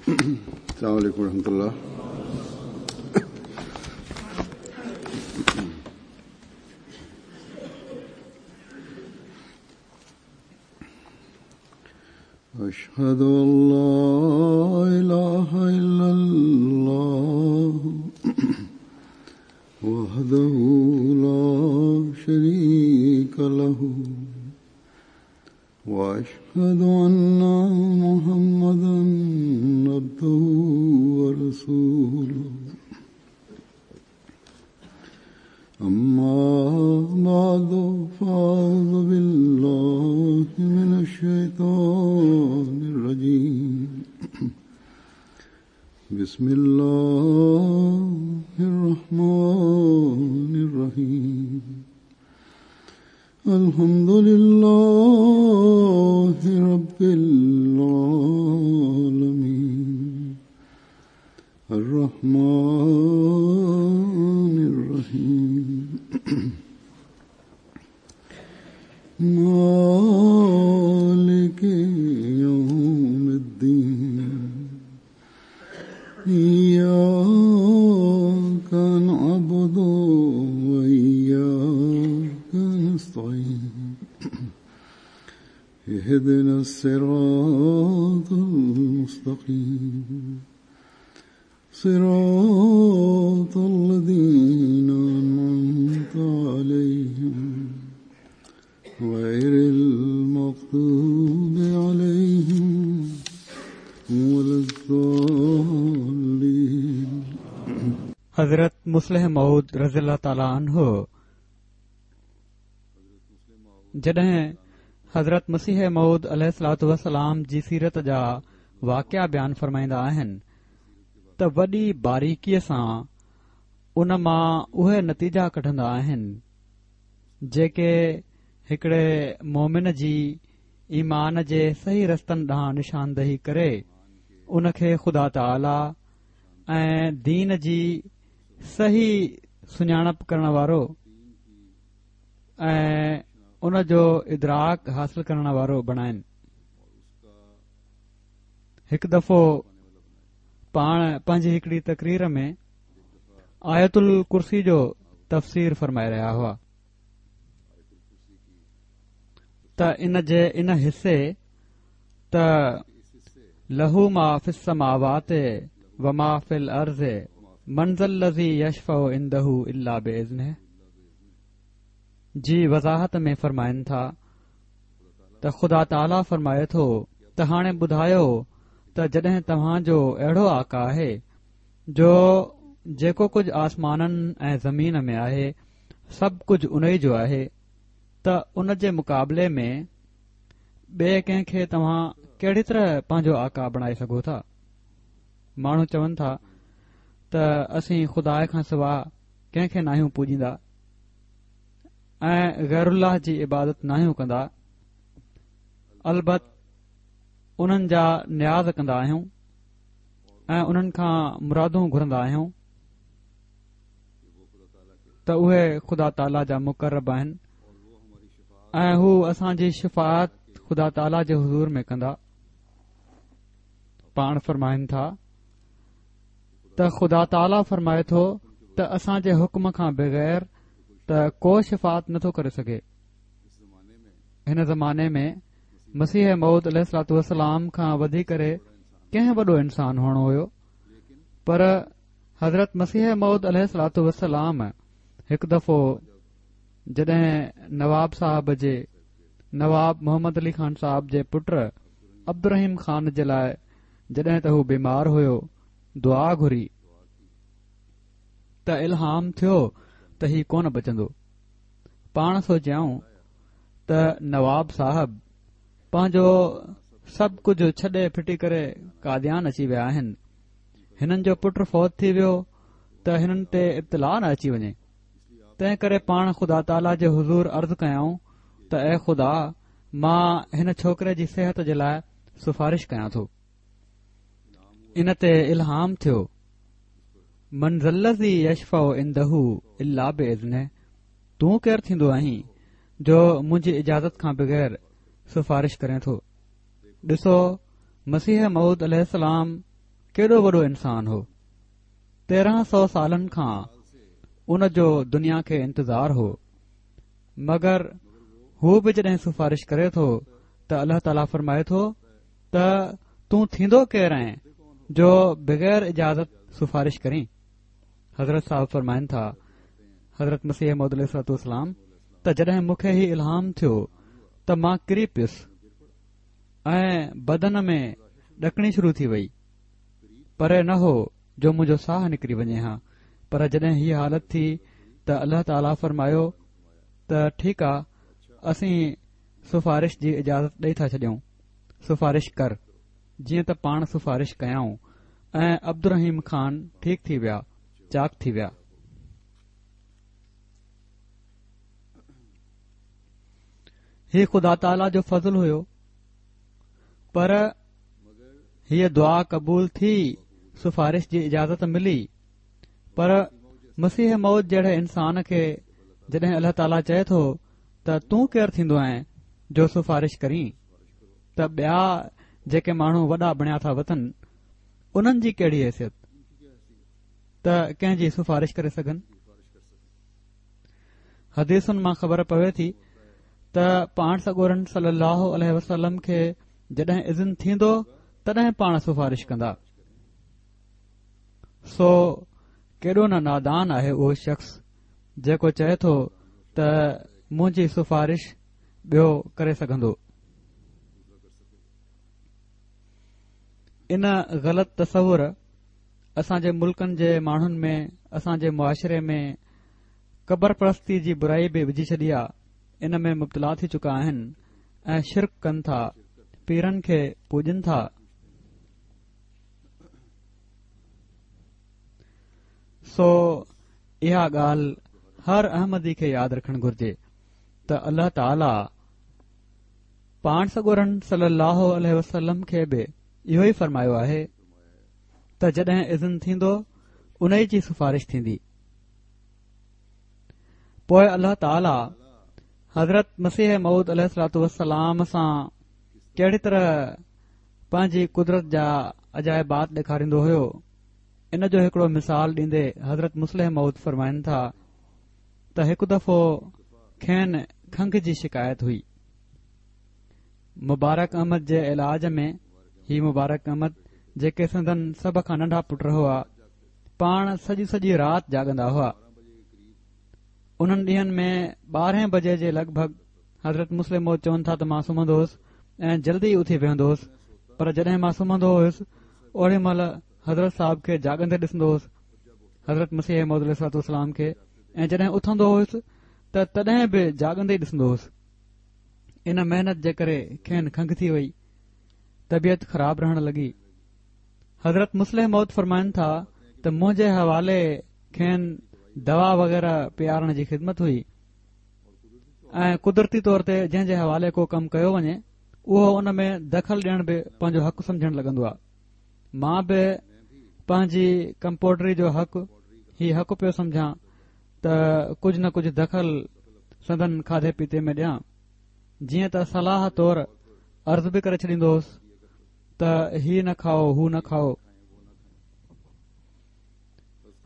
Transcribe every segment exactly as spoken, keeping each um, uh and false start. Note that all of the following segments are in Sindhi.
السلام علیکم ورحمۃ اللہ۔ أشهد أن لا إله إلا الله وحده لا شريك له وأشهد أن محمدا عبده ورسوله أما بعد فأعوذ بالله من الشيطان الرجيم بسم الله الرحمن الرحيم الحمد لله رب العالمين الرحمن الرحيم مالك يوم الدين إياك نعبد وإياك نستعين اهدنا الصراط المستقيم صراط الذين أنعمت عليهم غير المغضوب عليهم ولا الضالين. حضرت مصلح موعود رضي الله تعالٰي عنه جڏهن حضرت مسيح موعود عليه الصلوة والسلام جي سيرت جا واقعا بيان فرمائيندا آهن ته وڏي باريڪيءَ سان ان مان اهي نتيجا ڪڍندا آهن جيڪي هڪڙي مومن جي ايمان جي صحيح رستن ڏانهن نشاندهي ڪري ان کي خدا تعاليٰ ۽ دين جي صحيح سڃاڻپ ڪرڻ وارو ۽ ان جو ادراڪ حاصل ڪرڻ وارو بڻائن. هڪ دفعو پاڻ پنهنجي هڪڙي تقرير ۾ آيت الڪرسي جو تفسير فرمائي رهيا هئا ته ان جي ان حصي ته له ما في السماوات وما في الارض من ذا الذي يشفع عنده الا باذنه جي وضاحت ۾ فرمائن ٿا ته خدا تعاليٰ فرمائي ٿو ته هاڻي ٻڌايو ته جڏهن توهان جو اهڙو آقا آهي جو جيڪو ڪجهه آسمانن ۽ زمين ۾ آهي سڀ ڪجهه ان ئي جو آهي ته ان جي مقابلي ۾ ٻئي ڪنهن کي توهان ڪهڙي طرح پنهنجو آقا بڻائي سگهو ٿا؟ ماڻهو چون ٿا ته اسين خدا کان سواءِ ڪنهن کي ناهيون پوڄيندا ۽ غير الله جي عبادت ناهيون ڪندا، البت انهن جا نياز ڪندا آهيون ۽ انهن کان مرادون گهرندا آهيون ته اهي خدا تعاليٰ جا مقرب آهن ۽ هو اسان جي شفاعت خدا تعاليٰ جي حضور ۾ ڪندا. پاڻ فرمائن ٿا ته خدا تعاليٰ فرمائي ٿو ته اسان جي حڪم کان بغير ته ڪو شفاعت نٿو ڪري سگهي. هن زماني ۾ مسيح موعود عليه الصلوة والسلام کان وڌي ڪري ڪنهن وڏو انسان هئڻو هيو، پر حضرت مسيح موعود عليه الصلوة والسلام هڪ دفعو جڏهن نواب صاحب جي نواب محمد علي خان صاحب جي پٽ عبدالرحيم خان جي لاءِ جڏهن ته هو بيمار هيو دعا گهري ته الهام ٿيو ته هي ڪونه بچندو. پاڻ سوچيائون ته نواب صاحب پنهنجو سڀ ڪجهه ڇڏي ڦٽي ڪري قاديان اچي ويا آهن، هنن جو پٽ فوت ٿي ويو ته هنن تي ابتلا نه اچي وڃي، تنهن ڪري پاڻ خدا تعاليٰ جي حضور عرض ڪيائون ته اي خدا، مان هن ڇوڪري جي صحت جي لاءِ سفارش ڪيان ٿو. ان تي الهام ٿيو من ذا الذي يشفع عنده الا باذنه، تون ڪير ٿيندو آهين جو منهنجي اجازت کان بغير سفارش ڪرين ٿو؟ ڏسو مسيح موعود عليه السلام ڪيڏو وڏو انسان هو. تيرهن سؤ سالن کان ان جو دنيا کي انتظار هو، مگر هو به جڏهن سفارش ڪري ٿو ته الله تعاليٰ فرمائي ٿو ته تون ٿيندو ڪير آهين جو بغير اجازت سفارش ڪرين؟ حضرت صاحب فرمائن ٿا، حضرت مسيح موعود عليه الصلوة والسلام، ته جڏهن مون کي هي الهام ٿيو ته مان ڪري پيس ۽ بدن ۾ ڏڪڻي شروع ٿي وئي. پري نه هو جو منهنجو ساهه نڪري وڃي ها، پر جڏهن هيء حالت ٿي ته الله تعاليٰ فرمايو ته ٺيڪ آ، اسين سفارش جي اجازت ڏئي ٿا ڇڏيون، سفارش ڪر. جيئن ته پاڻ سفارش ڪيائون ۽ عبدالرحيم خان ٺيڪ ٿي ويا، چاڪ ٿي ويا. هي خدا تعاليٰ جو فضل هيو، پر هيء دعا قبول ٿي، سفارش جي اجازت ملي. پر مسيح موعود جهڙي انسان کي جڏهن الله تعاليٰ چئي ٿو ته تون ڪير ٿيندو آهين جو سفارش ڪرين، ته ٻيا جيڪي ماڻهو وڏا بڻيا ٿا وتن انهن جي ڪهڙي حيثيت ته ڪنهن جي سفارش ڪري سگهن؟ حديثن مان خبر پوي ٿي ته پاڻ سڳورن صلي الله عليه وسلم کي جڏهن اذن ٿيندو تڏهن پاڻ سفارش ڪندا. سو ڪيڏو نه نادان آهي اهو شخص جيڪو چئي ٿو ته منهنجي سفارش ٻيو ڪري سگهندو. ان غلط تصور اسان جي ملڪن جي ماڻهن ۾ اسان جي معاشري ۾ قبر پرستي جي برائي به وجهي ڇڏي آ. ان ۾ مبتلا ٿي چڪا آهن ۽ شرڪ ڪن ٿا، پيرن کي پوڄن ٿا. سو اها ڳالهه هر احمدي کي ياد رکڻ گهرجي ته الله تعاليٰ پاڻ سڳورن صلي الله عليه وسلم کي به اهو ئي فرمايو آهي ته جڏهن اذن ٿيندو انهي جي سفارش ٿيندي. پوءِ الله تعاليٰ حضرت مسيح موعود عليه الصلوة والسلام سان ڪهڙي طرح پنهنجي قدرت جا عجائبات ڏيکاريندو هيو، ان جو هڪڙو مثال ڏيندي حضرت مصلح موعود فرمائن ٿا ته هڪ دفعو کين کنگهه جي شڪايت هئي. مبارڪ احمد جي علاج ۾ هي مبارڪ احمد جيڪي سندن سڀ کان ننڍا پٽ هئا، پاڻ سڄي سڄي رات جاڳندا هئا. انهن ڏينهن ۾ ٻارهين بجي جي لڳ ڀڳ حضرت مصلح موعود چون ٿا ته مان سمهندو هوس ۽ جلدي ئي اٿي ويهندو هوس، پر جڏهن مان سمهندو هوس اوڏي مهل حضرت صاحب کي جاڳندي ڏسندو هوس، حضرت مسيح موعود عليه الصلوة والسلام کي، ۽ جڏهن اٿندو هوس ته تڏهن به جاڳندي ڏسندو هوس. ان محنت جي ڪري کين کنگهه ٿي وئي، طبيعت خراب رهڻ لڳي. حضرت مصلح موعود فرمائن ٿا ته منهنجي حوالي کين دوا وغيره پيارڻ جي خدمت هئي ۽ قدرتي طور تي جنهن جي حوالي ڪو ڪم ڪيو وڃي اهو ان ۾ دخل ڏيڻ به پنهنجو حق سمجهڻ لڳندو آهي. مان به پنهنجي ڪمپوڊري جو حق هي حق پيو سمجهان ته ڪجهه نه ڪجهه دخل سندن کاڌي پيتي ۾ ڏيان، جيئن ته صلاح طور عرض به ڪري ڇڏيندو هوس ته هي نه کائو هو نه کائو.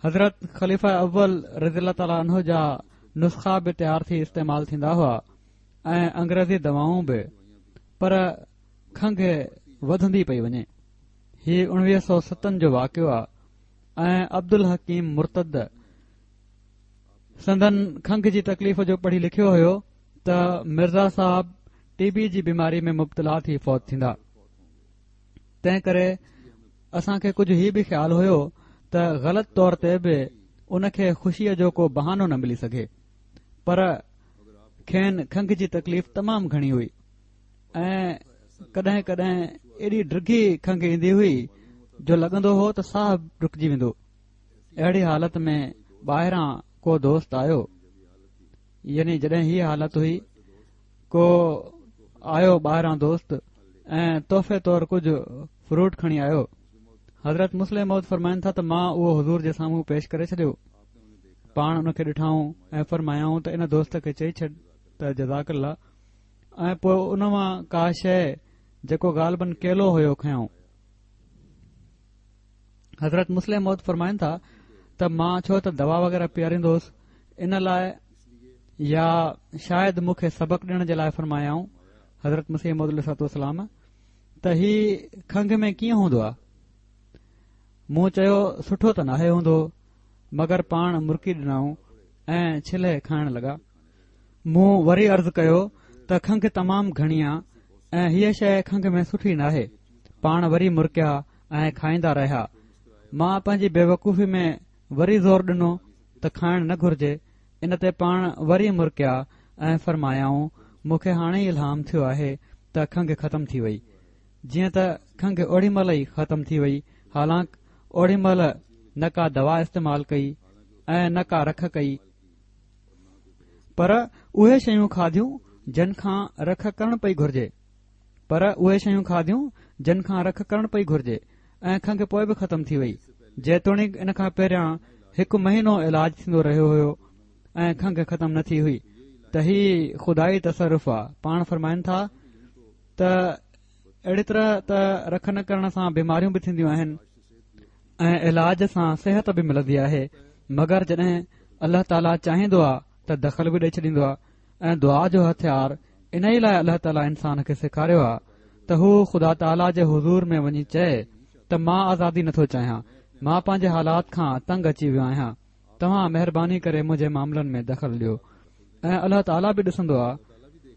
حضرت خليفه اول رضي الله تعالٰي عنه جا نسخا به تيار ٿي استعمال ٿيندا هئا ۽ انگريزي دوائون به، پر کنگهه وڌندي پئي وڃي. هي اڻويهه سؤ ستن جو واقعو آ ۽ عبدالحڪيم مرتد سندن کنگهه جي تڪليف جو پڙهي لکيو هيو ته مرزا صاحب ٽي بي جي بيماري ۾ مبتلا ٿي فوت ٿيندا. تنهن ڪري اسان کي ڪجهه هي به خيال هيو ته غلط طور تي به ان کي خوشيءَ جو ڪو بهانو نه ملي سگهي، پر کين کنگهه جي تڪليف تمام گهڻي هئي ۽ ڪڏهن ڪڏهن ايڏي ڊگهي کنگهه ايندي هئي جو لڳندو هو ته ساهه رڪجي ويندو. اهڙي حالت ۾ ٻاهران ڪو دوست آيو، يعني جڏهن هيء حالت هئي ڪو آيو ٻاهران دوست ۽ تحفي طور ڪجهه فروٽ کڻي آيو. حضرت مصلح موعود فرمائن ٿا ته مان اهو حضور جي سامهون پيش ڪري ڇڏيو. پاڻ ان کي ڏٺائون ۽ فرمايائون ته ان دوست کي چئي ڇڏ ته جزاڪ الله، ۽ پوء ان مان ڪا شيء جيڪو غالباً ڪيلو هيو کنيائون. حضرت مصلح موعود فرمائن ٿا ته مان ڇو ته دوا وغيره پياريندو هوس ان لاء يا شايد مون کي سبق ڏيڻ جي لاء فرمايائون حضرت مسيح موعود عليه الصلوة والسلام ته هي کنگهه ۾ ڪيئن هوندو آهي؟ مون چيو سٺو ته ناهي هوندو، مگر پاڻ مرڪي ڏنائون ۽ ڇلي کائڻ لڳا. مون وري عرض ڪيو ته کنگهه تمام گهڻي آ ۽ هيء شيء کنگهه ۾ سٺي ناهي. پاڻ وري مرڪيا ۽ کائيندا رهيا. مان پنهنجي بيوقوفي ۾ وري زور ڏنو ته کائڻ نه گهرجي. ان تي پاڻ وري مرڪيا ۽ فرمايائون مون کي هاڻي ئي الهام ٿيو آهي ته کنگهه ختم ٿي وئي. جيئن ته کنگهه اوڏي مهل ئي ختم ٿي وئي، حالانڪ اوڏي مهل نه ڪا دوا استعمال ڪئي ۽ نه ڪا رک ڪئي، پر اهي شيون کاڌيون جن کان رک ڪرڻ پئي گهرجي، پر اهي شيون کاڌيون جن کان رک ڪرڻ پئي گهرجي ۽ کنگهه پوء به ختم ٿي وئي. جيتوڻيڪ ان کان پهريان هڪ مهينو علاج ٿيندو رهيو هيو ۽ کنگهه ختم نه ٿي هئي. ته هي خدائي تصرف آ. پاڻ فرمائن ٿا ته اهڙي طرح ته رک نه ڪرڻ سان بيماريون به ٿينديون آهن ۽ علاج سان صحت به ملندي آهي، مگر جڏهن الله تعاليٰ چاهيندو آ ته دخل به ڏئي ڇڏيندو آ ۽ دعا جو هٿيار انهي لاء الله تعاليٰ انسان کي سيکاريو آ ته هو خدا تعاليٰ جي حضور ۾ وڃي چئي ته مان آزادي نٿو چاهيان، مان پنهنجي حالات کان تنگ اچي ويو آهيان، توهان مهرباني ڪري منهنجي معاملن ۾ دخل ڏيو. ۽ الله تعاليٰ به ڏسندو آ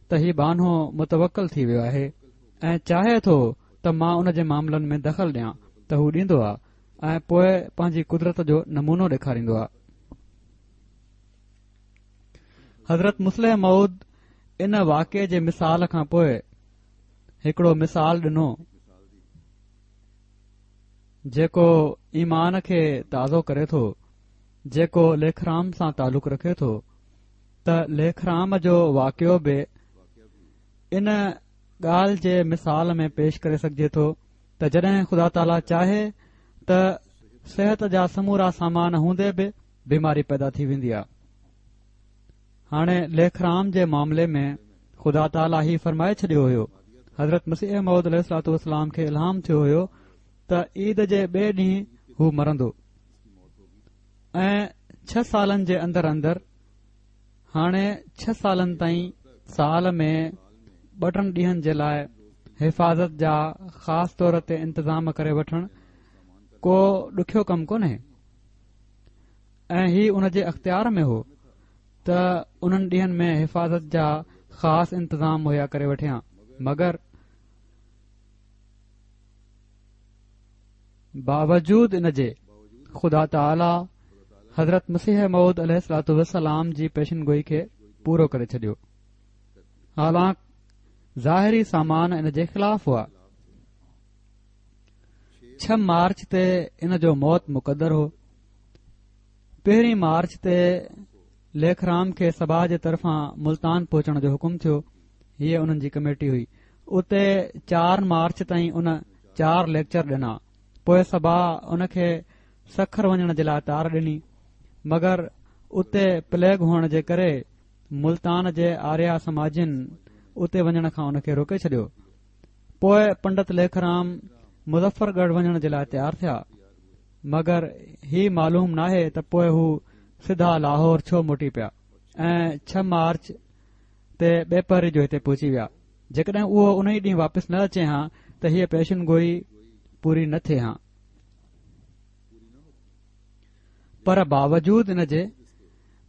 ته هي ٻانهو متوڪل ٿي ويو آهي ۽ چاهي ٿو ته مان ان جي معاملن ۾ دخل ڏيان ته هو ڏيندو آ ۽ پوء پنهنجي قدرت جو نمونو ڏيکاريندو آ. حضرت مصلح موعود ان واقعي جي مثال کان پوء هڪڙو مثال ڏنو جيڪو ايمان کي تازو ڪري ٿو، جيڪو ليکرام سان تعلق رکي ٿو ته ليکرام جو واقعو به ان ڳالهه جي مثال ۾ پيش ڪري سگهجي ٿو ته جڏهن خدا تعاليٰ چاهي ته صحت جا سمورا سامان هوندي به بيماري پيدا ٿي ويندي آهي. هاڻي ليکرام جي معاملي ۾ خدا تعاليٰ هي فرمائي ڇڏيو هيو، حضرت مسيح موعود عليه الصلوة والسلام کي الهام ٿيو هيو ته عيد جي ٻئي ڏينهن هو مرندو ۽ ڇهه سالن جي اندر اندر، هاڻي ڇهه سالن تائين سال ۾ ٻه ٽن ڏينهن جي لاء حفاظت جا خاص طور تي انتظام ڪري وٺڻ ڪو ڏکيو ڪم ڪونهي ۽ هي ان جي اختيار ۾ هو ته انهن ڏينهن ۾ حفاظت جا خاص انتظام مهيا ڪري وٺيان، مگر باوجود ان جي خدا تعاليٰ حضرت مسيح موعود عليه الصلوة والسلام جي پيشن گوئي کي پورو ڪري ڇڏيو، حالانڪ ظاهري سامان ان جي خلاف هئا. ڇهه مارچ تي ان جو موت مقدر هو. پهرين مارچ تي ليکرام کي سڀا جي طرفان ملتان پهچڻ جو حڪم ٿيو. هيء انهن جي ڪميٽي هئي. اتي چار مارچ تائين ان چار ليڪچر ڏنا. پوء سڀا ان کي سکر وڃڻ جي لاء تار ڏني، مگر اتي پليگ هئڻ جي ڪري ملتان جي آريا سماجين اتي وڃڻ کان ان کي روڪي ڇڏيو. پوء پنڊت ليکرام مظفر ڳڙهه وڃڻ جي لاء تيار ٿيا، مگر هي معلوم ناهي ته پوء هو سڌا لاهور ڇو موٽي پيا ۽ ڇهه مارچ تي ٻپهري جو هتي پهچي ويا. جيڪڏهن اهو انهي ڏينهن واپس نه اچي ها ته هيء پيشن گوئي پوري نه ٿئي ها. پر باوجود ان جي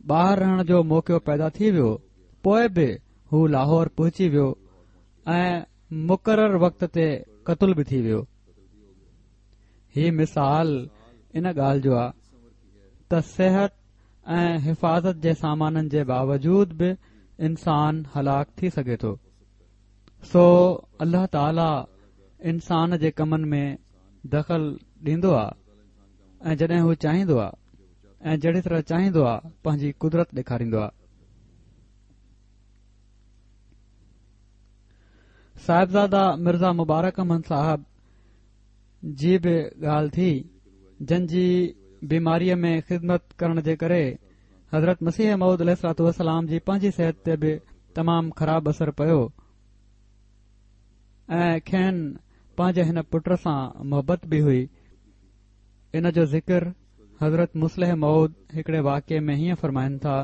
ٻاهر رهڻ جو موقعو پيدا ٿي ويو، پوء به هو لاهور پهچي ويو ۽ مقرر وقت تي قتل به ٿي ويو. هي مثال ان ڳالهه جو آ ته صحت ۽ حفاظت جي سامانن جي باوجود به انسان هلاڪ ٿي سگهي ٿو. سو الله تعاليٰ انسان جي ڪمن ۾ دخل ڏيندو آ ۽ جڏهن هو چاهيندو آ ۽ جهڙي طرح چاهيندو آ پنهنجي قدرت ڏيکاريندو آ. صاحبزاده مرزا مبارڪ احمد صاحب جي به ڳالهه ٿي، جن جي بيماريء ۾ خدمت ڪرڻ جي ڪري حضرت مسيح موعود عليه الصلوة والسلام جي پنهنجي صحت تي به تمام خراب اثر پيو ۽ کين پنهنجي هن پٽ سان محبت به هئي. ان جو ذڪر حضرت مصلح موعود هڪڙي واقعي ۾ هيئن فرمائن ٿا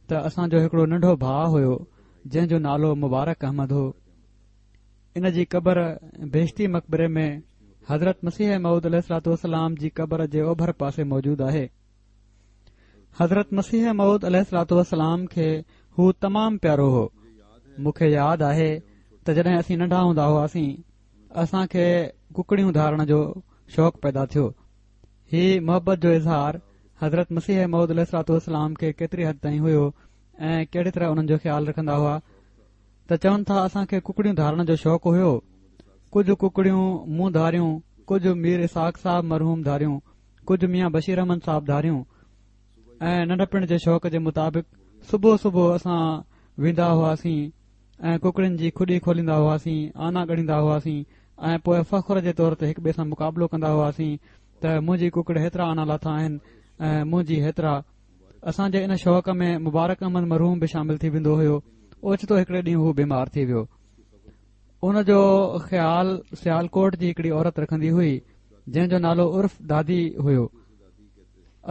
ته اسان جو هڪڙو ننڍو ڀاءُ هيو جنهن جو نالو مبارڪ احمد هو. ان جي قبر بهشتي مقبري ۾ حضرت مسيح موعود عليه الصلوة والسلام جي قبر جي اوڀر پاسي موجود آهي. حضرت مسيح موعود عليه الصلوة والسلام کي هو تمام پيارو هو. مون کي ياد آهي ته جڏهن اسين ننڍا هوندا هئاسين اسان کي ڪڪڙيون ڌارڻ جو شوق پيدا ٿيو. هي محبت جو اظهار حضرت مسيح موعود عليه الصلوة والسلام کي ڪيتري حد تائين هيو ۽ ڪهڙي طرح انهن جو خيال رکندا هئا ته چون ٿا اسان کي ڪڪڙيون ڌارڻ جو شوق هيو. ڪجهه ڪڪڙيون مون ڌاريون، ڪجهه مير اسحاق صاحب مرحوم ڌاريون، ڪجهه ميان بشير احمد صاحب ڌاريون ۽ ننڍپڻ جي شوق جي مطابق صبح صبح اسان ويندا هئاسين ۽ ڪڪڙين جي کڏي کوليندا هئاسين، آنا ڳڻيندا هئاسين ۽ پوءِ فخر جي طور تي هڪ ٻئي سان مقابلو ڪندا هئاسين ته منهنجي ڪڪڙ هيترا آنا لاٿا آهن ۽ منهنجي هيترا. اسان جي ان شوق ۾ مبارڪ احمد مرحوم به شامل ٿي ويندو هيو. اوچتو هڪڙي ڏينهن هو بيمار ٿي ويو. ان جو خيال سيالڪوٽ جي هڪڙي عورت رکندي هئي جنهن جو نالو عرف دادي هيو.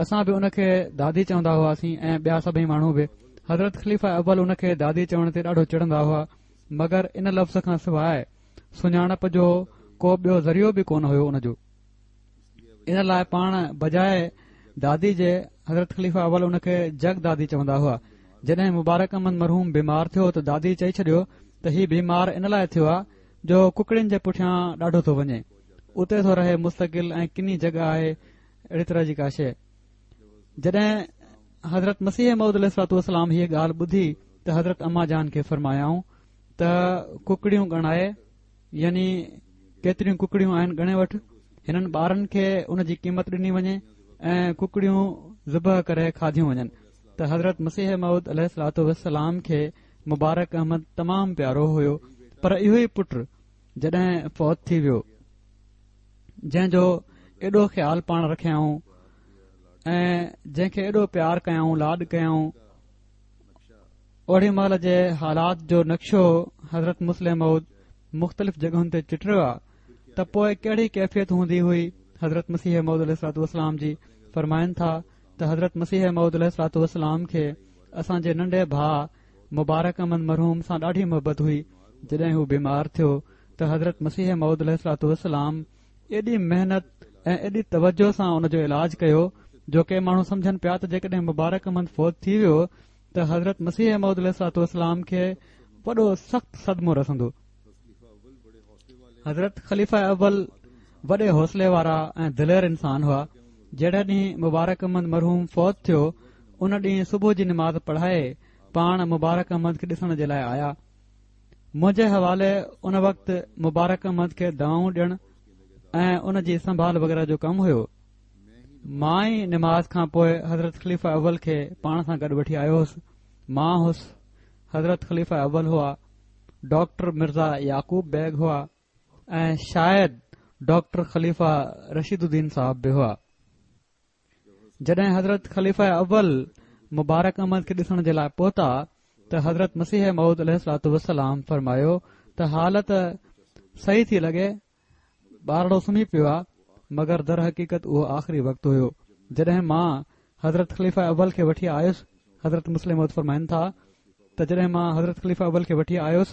اسان به ان کي دادي چوندا هئاسين ۽ ٻيا سڀئي ماڻهو به. حضرت خليفه اول ان کي دادي چوڻ تي ڏاڍو چڙندا هئا، مگر ان لفظ کان سواءِ سڃاڻپ جو ڪو ٻيو ذريعو به ڪونه هيو ان جو. ان لاءِ پاڻ بجاءِ دادي جي حضرت خليفه اول ان کي جگ دادي چوندا هئا. جڏهن مبارڪ احمد مرحوم بيمار ٿيو ته دادي چئي ڇڏيو ته هي بيمار ان لاءِ ٿيو آهي جو ڪڪڙين جي پٺيان ڏاڍو ٿو وڃي، اتي ٿو رهي مستقل ۽ ڪني جڳهه آهي، اهڙي طرح جي ڪا شيءِ. جڏهن حضرت مسيح موعود عليه الصلوة والسلام هيءَ ڳالهه ٻڌي ته حضرت اما جان کي فرمايائون ته ڪڪڙيون ڳڻائي، يعني ڪيتريون ڪڪڙيون آهن ڳڻي وٺ، هنن ٻارن کي ان جي قيمت ڏني وڃي ۽ ڪڪڙيون ذبح ڪري کاڌيون وڃن. ته حضرت مسيح موعود عليه الصلوة والسلام کي مبارڪ احمد تمام پيارو هيو، پر اهو ئي پٽ جڏهن فوت ٿي ويو جنهن جو ايڏو خيال پاڻ رکيائون ۽ جنهن کي ايڏو پيار ڪيائون، لاڏ ڪيائون، اوڙي مهل جي حالات جو نقشو حضرت مصلح موعود مختلف جڳهن تي چٽيو آهي ته پوءِ ڪهڙي ڪيفيت هوندي هئي حضرت مسيح موعود عليه الصلوة والسلام جي. فرمائن ٿا ته حضرت مسيح موعود عليه الصلوة والسلام کي اسان جي ننڍي ڀاءُ مبارڪ احمد مرحوم سان ڏاڍي محبت هئي. جڏهن هو بيمار ٿيو ته حضرت مسيح موعود عليه الصلوة والسلام ايڏي محنت ۽ ايڏي توجه سان ان جو علاج ڪيو جو ڪي ماڻهو سمجهن پيا ته جيڪڏهن مبارڪ احمد فوت ٿي ويو ته حضرت مسيح موعود عليه الصلوة والسلام کي وڏو سخت صدمو رسندو. حضرت خليفه اول وڏي حوصلي وارا ۽ دلير انسان هئا. جهڙي ڏينهن مبارڪ احمد مرحوم فوت ٿيو ان ڏينهن صبح جي نماز پڙهائي پاڻ مبارڪ احمد کي ڏسڻ جي لاءِ آيا. منهنجي حوالي ان وقت مبارڪ احمد کي دوائون ڏيڻ ۽ ان جي سنڀال وغيره جو ڪم هيو. مان ئي نماز کان پوءِ حضرت خليفه اول کي پاڻ سان گڏ وٺي آيو هوس. مان هوس، حضرت خليفه اول هئا، ڊاڪٽر مرزا يعقوب بيگ هئا ۽ شايد ڊاڪٽر خليفه رشيد الدين صاحب به هئا. جڏهن حضرت خليفه اول مبارڪ احمد کي ڏسڻ جي لاءِ پهتا ته حضرت مسيح موعود عليه الصلوة والسلام فرمايو ته حالت صحيح ٿي لڳي، ٻارڙو سمهي پيو آهي، مگر در حقيقت اهو آخري وقت هيو. جڏهن مان حضرت خليفه اول کي وٺي آيس، حضرت مصلح موعود فرمائن ٿا ته جڏهن مان حضرت خليفه اول کي وٺي آيس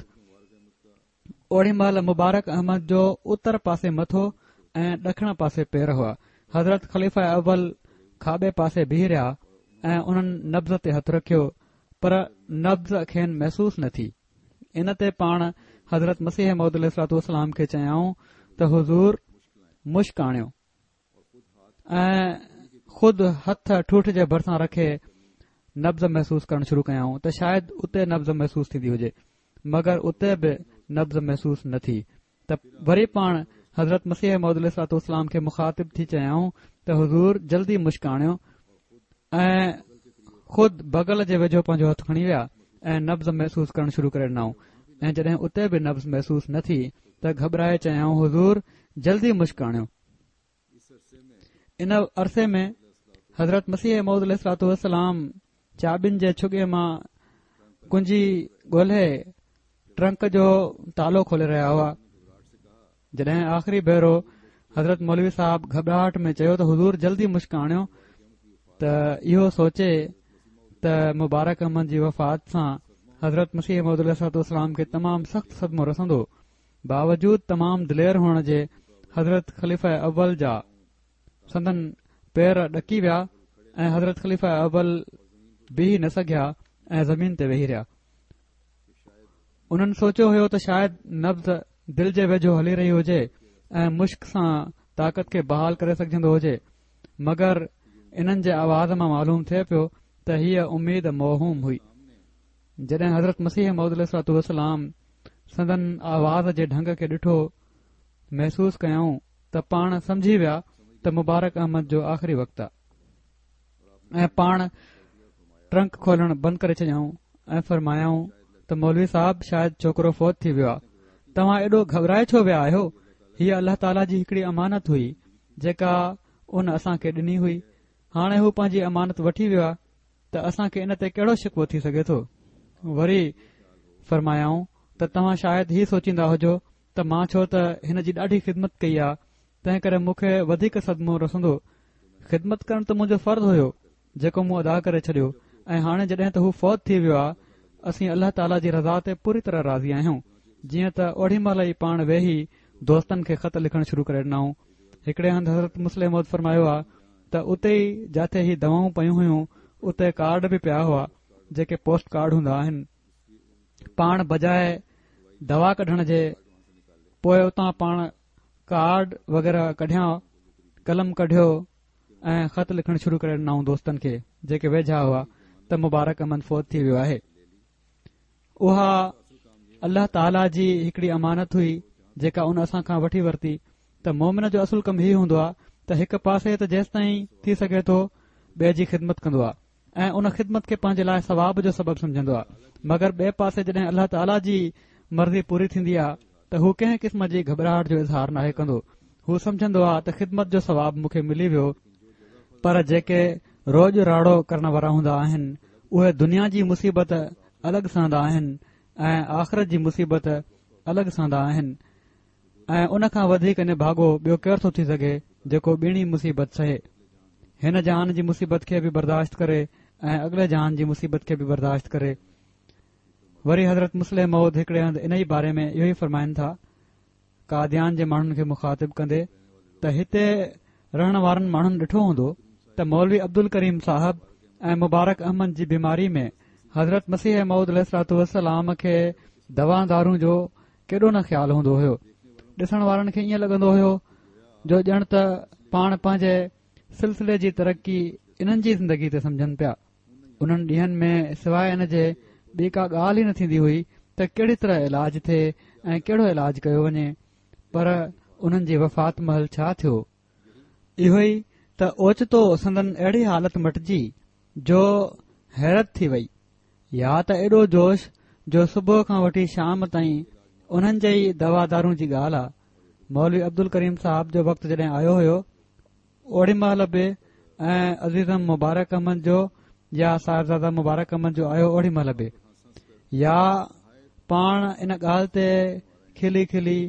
اوڙي مهل مبارڪ احمد جو اتر پاسي مٿو ۽ ڏکڻ پاسي پير هئا. حضرت خليفه اول کاٻي پاسي بيهي رهيا ۽ انهن نبض تي هٿ رکيو، پر نبض کين محسوس نه ٿي. ان تي پاڻ حضرت مسيح موعود عليه الصلوة والسلام کي چيائون ته حضور مشڪ آڻيو ۽ خود هٿ ٺوٺ جي ڀرسان رکي نبض محسوس ڪرڻ شروع ڪيائون ته شايد اتي نبض محسوس ٿيندي هجي، مگر اتي به نبض محسوس نه ٿي. ته وري پاڻ حضرت مسيح موعود عليه الصلوة والسلام کي مخاطب ٿي چيائون ته حضور جلدي مشڪ آڻيو ۽ خود بغل جي ويجهو پنهنجو هٿ کڻي ويا ۽ نبض محسوس ڪرڻ شروع ڪري ڏنائون ۽ جڏهن اتي به نبض محسوس نه ٿي ته گهٻرائي چيائون حضور جلدي مشڪ آڻيو. ان عرصي ۾ حضرت مسيح موعود عليه الصلوة والسلام چاٻين جي ڇڳي مان ڪنجي ڳولهي ٽرنڪ جو تالو کولي رهيا هئا. جڏهن آخري ڀيرو حضرت مولوي صاحب گهٻراهٽ ۾ چيو ته حضور جلدي مشڪ آڻيو. ته اهو سوچي ته مبارڪ احمد جي وفات سان حضرت مسيح موعود عليه الصلوة والسلام کي تمام سخت صدمو رسندو، باوجود تمام دلير هئڻ جي حضرت خليفه اول جا سندن پير ڏڪي ويا ۽ حضرت خليفه اول بيهي نه سگهيا ۽ زمين تي ويهي رهيا. انهن سوچيو هيو ته شايد نبض دل جي ويجهو هلي رهي هجي ۽ مشڪ سان طاقت کي بحال ڪري سگهجندو هجي، مگر انهن جي آواز مان معلوم ٿئي پيو ته هيء اميد موهوم هئي. جڏهن حضرت مسيح موعود عليه الصلوة والسلام سندن آواز جي ڍنگ کي ڏٺو، محسوس ڪيائون ته پاڻ سمجهي ويا ته مبارڪ احمد جو آخري وقت آ ۽ پاڻ ٽرنڪ کولڻ بند ڪري ڇڏيائون ۽ فرمايائون ته مولوي صاحب شايد ڇوڪرو فوت ٿي ويو آ، توهان ايڏو گهٻرائي ڇو ويا آهيو؟ هيء الله تعاليٰ جي هڪڙي امانت هئي جيڪا ان اسان کي ڏني هئي. هاڻي هو پنهنجي امانت وٺي ويو آ ته اسان کي ان تي ڪهڙو شڪوو ٿي سگهي ٿو؟ وري فرمايائون ته توهان شايد هي سوچيندا هجو ته مان ڇو ته هن جي ڏاڍي خدمت ڪئي آ، تنهن ڪري مون کي وڌيڪ صدمو رسندو. خدمت ڪرڻ ته منهنجو فرض هيو جيڪو مون ادا ڪري ڇڏيو، ۽ هاڻي جڏهن ته هو فوت ٿي ويو آ، اسين الله تعاليٰ جي رضا تي پوري طرح راضي آهيون. جيئن ته اوڙي مهل ئي پاڻ ويهي دوستن کي خط لکڻ شروع ڪري ڏنائون. هڪڙي هنڌ حضرت مصلح موعود فرمايو آ ته اتي ئي جاٿي هي دوائون پيون هيون اتي ڪارڊ به پيا هئا جيڪي پوسٽ ڪارڊ هوندا آهن. پاڻ بجاءِ دوا ڪڍڻ جي پوءِ اتان پاڻ ڪارڊ وغيره ڪڍيا، قلم ڪڍيو ۽ خط لکڻ شروع ڪري ڏنائون دوستن کي جيڪي ويجها هئا ته مبارڪ احمد فوت ٿي ويو آهي. اها الله تعاليٰ جي هڪڙي امانت هئي جيڪا ان اسان کان وٺي ورتي. ته مومن جو اصل ڪم هي هوندو آهي ته هڪ پاسي ته جيستائين ٿي سگهي ٿو ٻئي جي خدمت ڪندو آهي ۽ ان خدمت کي پنهنجي لاءِ ثواب جو سبب سمجهندو آهي، مگر ٻئي پاسي جڏهن الله تعاليٰ جي مرضي پوري ٿيندي آهي ته هو ڪنهن قسم جي گهٻراهٽ جو اظهار ناهي ڪندو. هو سمجهندو آهي ته خدمت جو ثواب مون کي ملي ويو. پر جيڪي روڄ راڙو ڪرڻ وارا هوندا آهن اهي دنيا جي مصيبت الڳ سهندا آهن ۽ آخرت جي مصيبت الڳ سهندا آهن، ۽ ان کان وڌيڪ نڀاڳو ٻيو ڪير ٿو ٿي سگهي جيڪو ٻيڻي مصيبت سهي، هن جهان جي مصيبت کي به برداشت ڪري ۽ اڳلي جهان جي مصيبت کي به برداشت ڪري. وري حضرت مصلح موعود هڪڙي هنڌ ان ئي باري ۾ اهو ئي فرمائن ٿا قاديان جي ماڻهن کي مخاطب ڪندي ته هتي رهڻ وارن ماڻهن ڏٺو هوندو ته مولوي عبدالڪريم صاحب ۽ مبارڪ احمد جي بيماري ۾ حضرت مسيح موعود عليه الصلوة والسلام کي دوا دارون جو ڪيڏو نه خيال هوندو هيو. ڏسڻ وارن کي ائين لڳندو هيو جو ڄڻ ته پاڻ پنهنجي سلسلي جي ترقي انهن جي زندگي تي سمجهن پيا. انهن ڏينهن ۾ سواءِ ان جي ٻي ڪا ڳالهه ئي نه ٿيندي هئي ته ڪهڙي طرح علاج ٿئي ۽ ڪهڙو علاج ڪيو وڃي. پر انهن جي وفات مهل ڇا ٿيو؟ اهو ئي ته اوچتو سندن اهڙي حالت مٽجي جو حيرت ٿي وئي. يا ته ايڏو جوش جو صبح کان وٺي شام تائين انهن جي ئي دوا دارون جي ڳالهه آ. مولوي عبدالڪريم صاحب جو وقت جڏهن آيو هيو اوڙي مهل به ۽ عزيزم مبارڪ احمد جو يا صاحبزاده مبارڪ احمد جو آيو اوڙي مهل به، يا پاڻ ان ڳالهه تي کلي کلي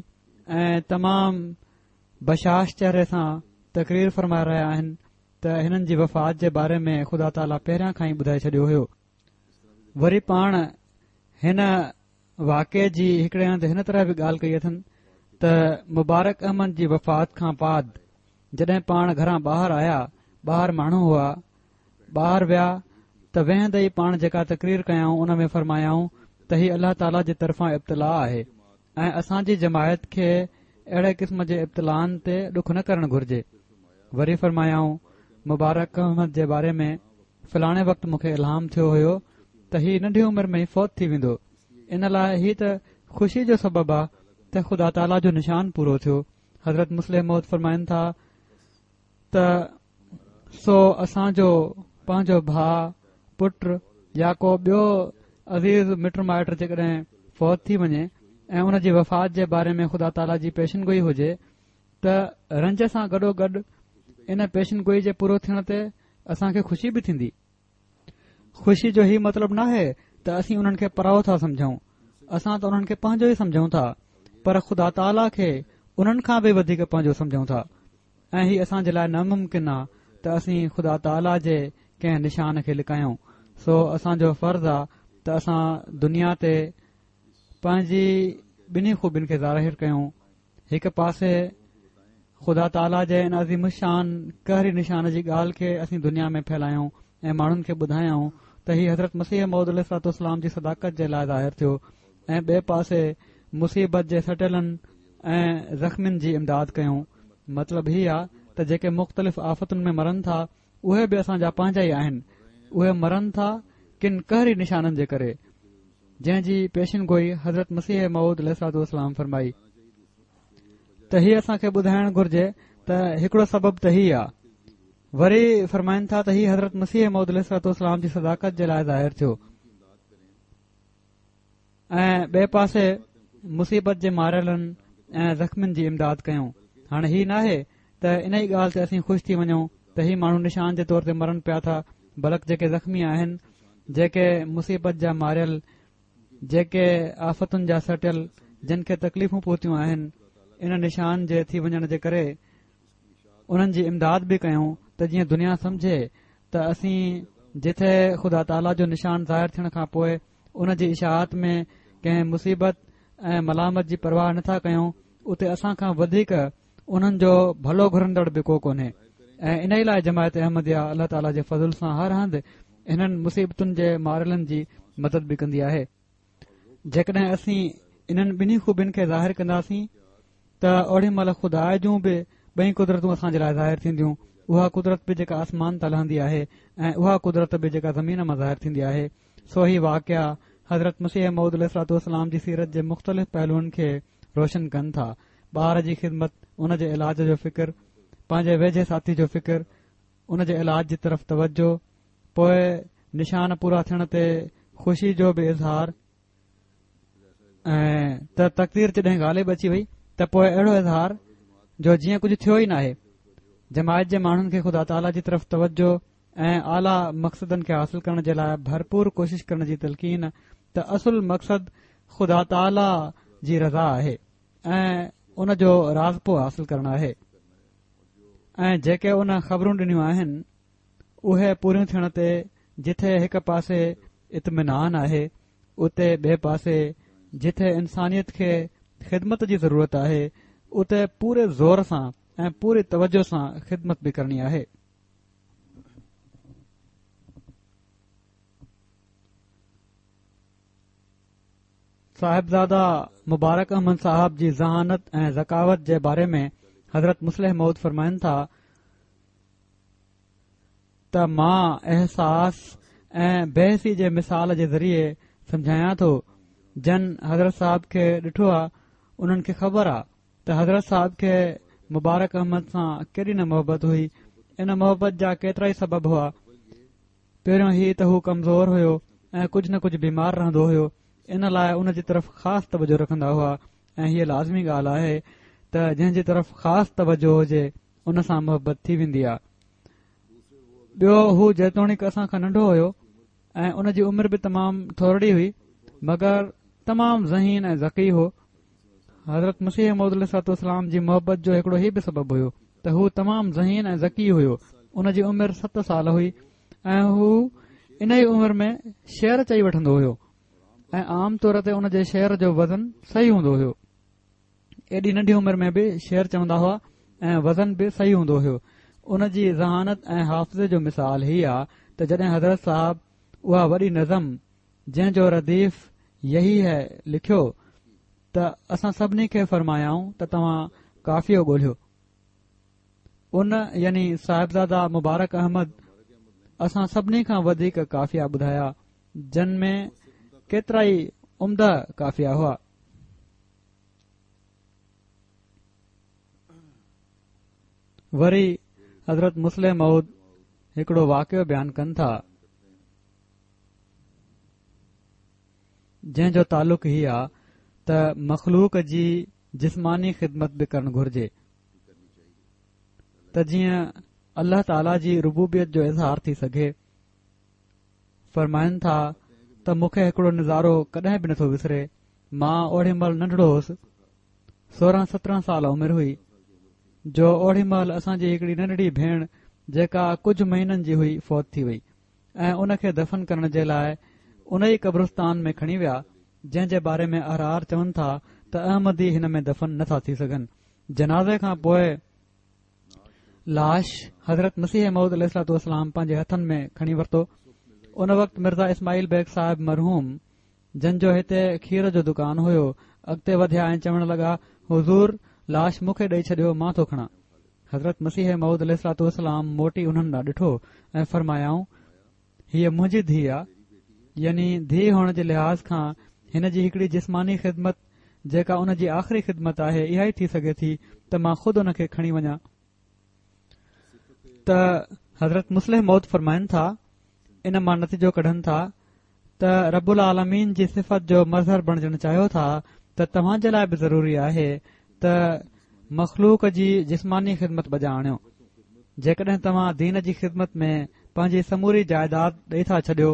۽ تمام بشاش چهري سان تقرير فرمائي رهيا آهن ته هنن جي وفات جي باري ۾ خدا تعاليٰ پهريان کان ئي ٻڌائي ڇڏيو هيو. وري پاڻ هن واقعي جي هڪڙي هنڌ هن طرح به ڳالهه ڪئي اٿن ته مبارڪ احمد جي وفات کان بعد جڏهن پاڻ گهران ٻاهر آيا، ٻاهر ماڻهو هئا، ٻاهر ويا ته ويهندي ئي پاڻ جيڪا تقرير ڪيائون ان ۾ فرمايائون ته هي الله تعاليٰ جي طرفان ابتلا آهي ۽ اسان جي جماعت کي اهڙي قسم جي ابتلائن تي ڏک نه ڪرڻ گهرجي. وري فرمايائون مبارڪ احمد جي باري ۾ فلاڻي وقت مون کي الهام ٿيو هيو ته هي ننڍي عمر ۾ ئي فوت ٿي ويندو، ان لاءِ هي ته خوشي جو سبب آ ته خدا تعاليٰ جو نشان پورو ٿيو. حضرت مصلح موعود فرمائن ٿا ته سو اسان جو پنهنجو ڀاءُ، پٽ يا ڪو ٻيو عزيز مٽ مائٽ جيڪڏهن فوت ٿي وڃي ۽ ان جي وفات جي باري ۾ خدا تعاليٰ جي پيشن گوئي هجي ته رنج سان گڏو گڏ ان پيشن گوئي جي پورو ٿيڻ تي اسان کي خوشي به ٿيندي. خوشي جو هي مطلب ناهي ته اسين انهن کي پرائو ٿا سمجهون، اسان ته انهن کي پنهنجو ئي سمجهون ٿا، پر خدا تعاليٰ کي انهن کان به وڌيڪ پنهنجو سمجهون ٿا. ۽ هي اسان جي لاءِ ناممڪن آ ته اسين خدا تعاليٰ جي ڪنهن نشان کي لڪايون. سو اسان جو فرض آ ته اسان دنيا تي پنهنجي ٻنهي خوبين کي ظاهر ڪيون. هڪ پاسي خدا تعاليٰ جي ان عظيم الشان قهري نشان جي ڳالهه کي اسين دنيا ۾ ڦهلايون ۽ ماڻهن کي ٻڌايون ته هي حضرت مسيح موعود عليه الصلوة والسلام جي صداقت جي لاءِ ظاهر ٿيو، ۽ ٻئي پاسي مصيبت جي سٽيلن ۽ زخمين جي امداد ڪيون. مطلب هي آ ته جيڪي مختلف آفتن ۾ مرن ٿا اهي به اسان جا پنهنجا ئي آهن. اهي مرن ٿا ڪن قهري نشانن جي ڪري، جنهن جي پيشن گوئي حضرت مسيح موعود عليه الصلوة والسلام فرمائي. ته هي اسان کي ٻڌائڻ گهرجي ته هڪڙو سبب ته هي آ. وري فرمائن ٿا ته هي حضرت مسيح موعود عليه الصلوة والسلام جي صداقت جي لاءِ ظاهر ٿيو، ۽ ٻئي پاسي مصيبت جي ماريلن ۽ زخمين جي امداد ڪيون. هاڻي هي ناهي ته ان ئي ڳالهه تي اسين خوش ٿي وڃون ته هي ماڻهو نشان جي طور تي مرن پيا ٿا، بلڪ جيڪي زخمي آهن، جيڪي مصيبت جا ماريل، جيڪي آفتن جا سٽيل، جن کي تڪليفون پهتيون آهن، ان نشان جي ٿي وڃڻ جي ڪري انهن جي امداد به ڪيون ته جيئن دنيا سمجهي ته اسين جٿي خدا تعاليٰ جو نشان ظاهر ٿيڻ کان پوءِ ان جي اشاعت ۾ ڪنهن مصيبت ۽ ملامت جي پرواهه نٿا ڪيون، اتي اسان کان وڌيڪ انهن جو ڀلو گهرندڙ به ڪو ڪونهي. ۽ ان ئي لاءِ جماعت احمديه الله تعاليٰ جي فضل سان هر هنڌ انهن مصيبتن جي ماريلن جي مدد به ڪندي آهي. جيڪڏهن اسين انهن ٻنهي خوبين کي ظاهر ڪنداسين ته اوڏي مهل خدا جون به ٻئي قدرتون اسان جي لاءِ ظاهر ٿينديون. اها قدرت به جيڪا آسمان تان لهندي آهي ۽ اها قدرت به جيڪا زمين مان ظاهر ٿيندي آهي. سو هي واقعا حضرت مسيح موعود عليه الصلوة والسلام جي سيرت جي مختلف پهلوئن کي روشن ڪن ٿا. ٻار جي خدمت، ان جي علاج جو فڪر، پنهنجي ويجهي ساٿي جو فڪر، ان جي علاج جي طرف توجه، پوءِ نشان پورا ٿيڻ تي خوشي جو به اظهار، ۽ ته تقدير جڏهن غالب اچي وئي ته پوءِ اهڙو اظهار جو جيئن ڪجهه ٿيو ئي ناهي. جماعت جي ماڻهن کي خدا تعاليٰ جي طرف توجه ۽ اعليٰ مقصدن کي حاصل ڪرڻ جي لاءِ ڀرپور ڪوشش ڪرڻ جي تلقين ته اصل مقصد خدا تعاليٰ جي رضا آهي ۽ ان جو راضپو حاصل ڪرڻ آهي. ۽ جيڪي ان خبرون ڏنيون آهن اهي پوريون ٿيڻ تي جٿي هڪ پاسي اطمينان آهي، اتي ٻئي پاسي جٿي انسانيت کي خدمت جي ضرورت آهي اتي پوري زور سان ۽ پوري توجه سان خدمت به ڪرڻي آهي. صاحبزاده مبارڪ احمد صاحب جي ذهانت ۽ ذڪاوت جي باري ۾ حضرت مصلح موعود فرمائن ٿا ته مان احساس ۽ بيحسي جي مثال جي ذريعي سمجهايان ٿو. جن حضرت صاحب کي ڏٺو آ انهن کي خبر آ ته حضرت صاحب کي مبارڪ احمد سان ڪيڏي نه محبت هئي. ان محبت جا ڪيترا ئي سبب هئا. پهريون هي ته هو ڪمزور هيو ۽ ڪجهه نه ڪجهه بيمار رهندو هيو، ان لاءِ ان جي طرف خاص توجه رکندا هئا. ۽ هيءَ لازمي ڳالهه آهي ته جنهن جي طرف خاص توجه هجي ان سان محبت ٿي ويندي آ. ٻيو هو جيتوڻيڪ اسان کان ننڍو هيو ۽ ان جي عمر به تمام ٿورڙي هئي، مگر تمام ذهين ۽ ذڪي هو. حضرت مسيح موعود عليه الصلوة والسلام جي محبت جو هڪڙو هي به سبب هيو ته هو تمام ذهين ۽ ذڪي هيو. ان جي عمر ست سال هئي ۽ هو ان ئي عمر ۾ شعر چئي وٺندو هيو ۽ عام طور تي ان جي شعر جو وزن صحيح هوندو هيو. ايڏي ننڍي عمر ۾ به شعر چوندا هئا ۽ وزن به صحيح هوندو هيو. ان جي ذهانت ۽ حافظي جو مثال هي آ ته جڏهن حضرت صاحب اها وڏي نظم جنهن جو رديف يهي هي لکيو ته اسان سڀني کي فرمايائون ته توهان قافيو ڳولهيو. ان يعني صاحبزاده مبارڪ احمد اسان سڀني کان وڌيڪ قافيا ٻڌايا، جن ۾ ڪيترا ئي عمده قافيا هئا. وري حضرت مصلح موعود هڪڙو واقعو بيان ڪن ٿا جنهن جو تعلق هي آ ته مخلوق جي جسماني خدمت به ڪرڻ گهرجي ته جيئن الله تعاليٰ جي ربوبيت جو اظهار ٿي سگهي. فرمائن ٿا ته مون کي هڪڙو نظارو ڪڏهن به نٿو وسري. مان اوڏي مهل ننڍڙو هوس، سورهن سترهن سال عمر هئي، جو اوڏي مهل اسان جي هڪڙي ننڍڙي ڀيڻ جيڪا ڪجهه مهينن جي هئي فوت ٿي وئي ۽ ان کي دفن ڪرڻ جي لاء ان ئي قبرستان ۾ کڻي ويا، جنهن جي باري ۾ احرار چون ٿا ته احمدي هن ۾ دفن نٿا ٿي سگهن. جنازي کان پوء لاش حضرت مسيح موعود عليه الصلوة والسلام پنهنجي هٿن ۾ کڻي ورتو. ان وقت مرزا اسماعيل بيگ صاحب مرحوم، جن جو هتي کير جو دڪان هيو، اڳتي وڌيا ۽ چوڻ لڳا، حضور لاش مون کي ڏئي ڇڏيو، مان ٿو کڻان. حضرت مسيح موعود عليه الصلوة والسلام موٽي انهن ڏانهن ڏٺو ۽ فرمايائون، هيء منهنجي ڌيء آ، يعني ڌيء هئڻ جي لحاظ کان هن جي هڪڙي جسماني خدمت جيڪا ان جي آخري خدمت آهي اها ئي ٿي سگهي ٿي ته مان خود ان کي کڻي وڃان. ته حضرت مصلح موعود فرمائن ٿا، ان مان نتيجو ڪڍن ٿا ته رب العالمين جي صفت جو مظهر بڻجڻ چاهيو ٿا ته توهان جي لاء به ضروري آهي ته مخلوق جي جسماني خدمت بجا آڻيو. جيڪڏهن توهان دين جي خدمت ۾ پنهنجي سموري جائيداد ڏئي ٿا ڇڏيو،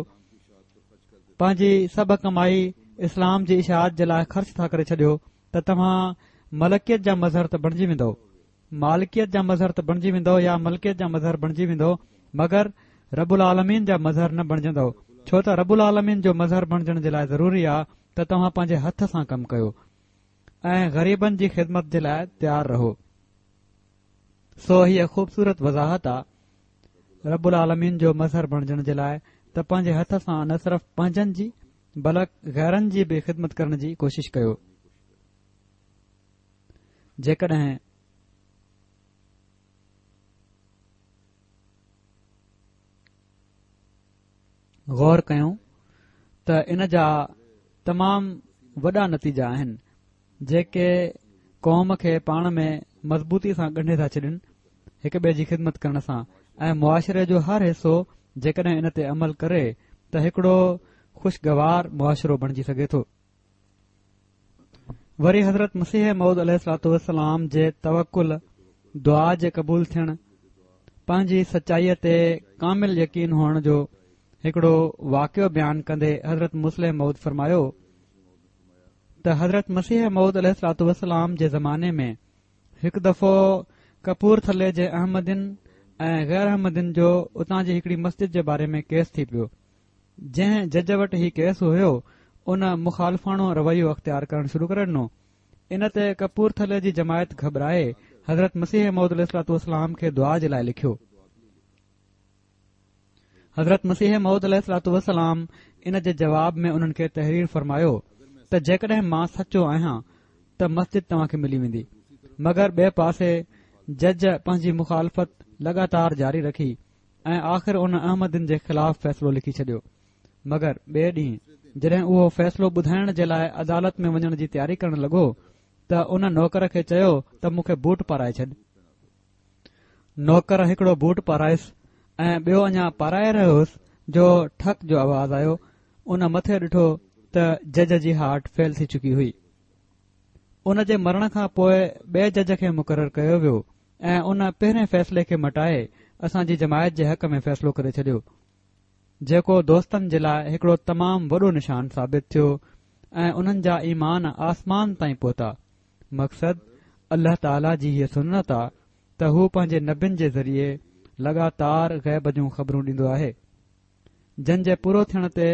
پنهنجي سڀ ڪمائي اسلام جي اشاعت جي لاء خرچ ٿا ڪري ڇڏيو ته توهان ملڪيت جا مظهر ته بڻجي ويندؤ، مالڪيت جا مظهر ته بڻجي ويندؤ يا ملڪيت جا مظهر بڻجي ويندؤ، مگر رب العالمين جا مظهر نه بڻجندؤ، ڇو ته رب العالمين جو مظهر بڻجڻ جي لاء ضروري آ ته توهان پنهنجي هٿ سان ڪم ڪيو ۽ غريبن جي خدمت جي لاء تيار رهو. سو هيء خوبصورت وضاحت آ رب العالمين جو مظهر بڻجڻ جي لاء ته پنهنجي هٿ سان نه صرف پنهنجن جي بلڪ غيرن جي به خدمت ڪرڻ جي ڪوشش ڪيو. جيڪڏهن غور ڪيون ته ان جا تمام وڏا نتيجا آهن جيڪي قوم کي پاڻ ۾ مضبوطي سان ڳنڍي ٿا ڇڏن هڪ ٻئي جي خدمت ڪرڻ سان، ۽ معاشري جو هر حصو جيڪڏهن ان تي عمل ڪري ته هڪڙو خوشگوار معاشرو بڻجي سگهي ٿو. وري حضرت مسيح موعود عليه الصلوة والسلام جي توڪل، دعا جي قبول ٿيڻ، پنهنجي سچائيء تي ڪامل يقين هئڻ جو هڪڙو واقعو بيان ڪندي حضرت مصلح موعود فرمايو ته حضرت مسيح موعود عليه الصلوة والسلام جي زماني ۾ هڪ دفعو ڪپورٿلي جي احمدين ۽ غير احمدين جو اتان جي هڪڙي مسجد جي باري ۾ ڪيس ٿي پيو. جنهن جج وٽ هي ڪيس هيو ان مخالفاڻو رويو اختيار ڪرڻ شروع ڪري ڏنو. ان تي ڪپورٿلي جي جماعت گهٻرائي حضرت مسيح موعود عليه الصلوة والسلام کي دعا جي لاء لکيو. حضرت مسيح موعود عليه الصلوة والسلام ان جي جواب ۾ انهن کي تحرير فرمايو ته جيڪڏهن مان سچو آهيان ته مسجد توهان کي ملي ويندي. مگر ٻئي پاسي جج پنهنجي مخالفت لڳاتار جاري رکي ۽ آخر ان احمدين جي خلاف فيصلو لکي ڇڏيو. مگر ٻئي ڏينهن جڏهن اهو فيصلو ٻڌائڻ جي لاء عدالت ۾ وڃڻ جي تياري ڪرڻ لڳو ته ان نوڪر کي چيو ته مون کي بوٽ پارائي ڇڏ. نوڪر هڪڙو بوٽ پارائيس ۽ ٻيو اڃا پارائي رهيو هوس جو ٺڪ جو آواز آيو. ان مٿي ڏٺو ته جج جي هارٽ فيل ٿي چڪي هئي. ان جي مرڻ کان پوء ٻئي جج کي مقرر ڪيو ويو ۽ ان پهرين فيصلي کي مٽائي اسان جي جماعت جي حق ۾ فيصلو ڪري ڇڏيو، جيڪو دوستن جي لاء هڪڙو تمام وڏو نشان ثابت ٿيو ۽ انهن جا ايمان آسمان تائين پهتا. مقصد الله تعاليٰ جي هيء سنت آ ته هو پنهنجي نبين جي ذريعي لڳاتار غيب جون خبرون ڏيندو آهي، جن جي پورو ٿيڻ تي